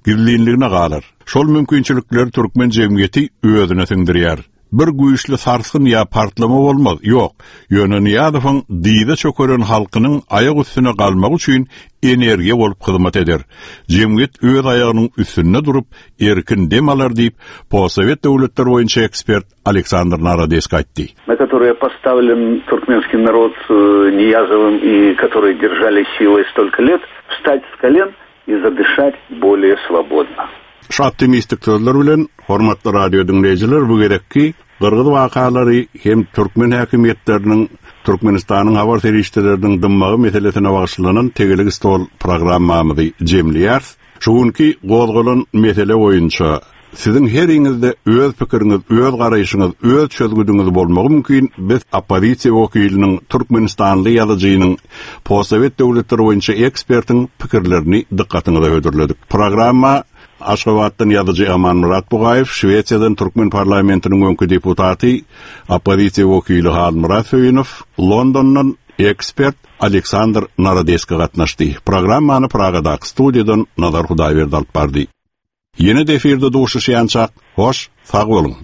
gizlinligine galar. Şol mümkinçilikler türkmen jemgyýeti özüne siňdirýär. Bir güýçli sarsgyn ýa partlama bolmaz, ýok. Ýöne Nyýazowyň diýde çökeren halkynyň aýak üstüne galmagy üçin energiýa bolup hyzmat eder. Jemgyýet öz aýagynyň üstünde durup erkin dem alar diýip, postsowet döwletler boýunça ekspert Aleksandr Narodesk aýtdy. На которые поставлен туркменский народ Ниязовым и которые держали силой столько лет, встать с колен и задышать более свободно. Şu optimistik sözler bilen hormatly radio diňleýjiler bu gerekki Gyrgyz wakalary hem türkmen häkimiýetleriniň Türkmenistanyň habar serişdeleriniň dymmagy meselesine bagyşlanan tegelik stol programmamyzy jemleýäris. Şu günki gozgalan mesele boýunça Siziň heriňizde öz pikiriňiz, öz garaýşyňyz, öz çözgüdiňiz bolmagy mümkin. Biz oppozisiýa wekiliniň, Türkmenistanly ýazyjynyň, postsowet döwletleri boýunça ekspertiň pikirlerini dykgatyňyza hödürledik. Programma Aşgabatdan ýazyjy Amanmyrat Bugaýew, Şwesiýadan Türkmen parlamentiniň öňki deputaty, oppozisiýa wekili Halmyrat Söýünow, Londondan ekspert Aleksandr Narodeski gatnaşdy. Programmany Pragadaky studiýadan Nazar Hudaýberdi alyp bardy. Ýene-de efirde duşuşýançak, hoş, sag boluň.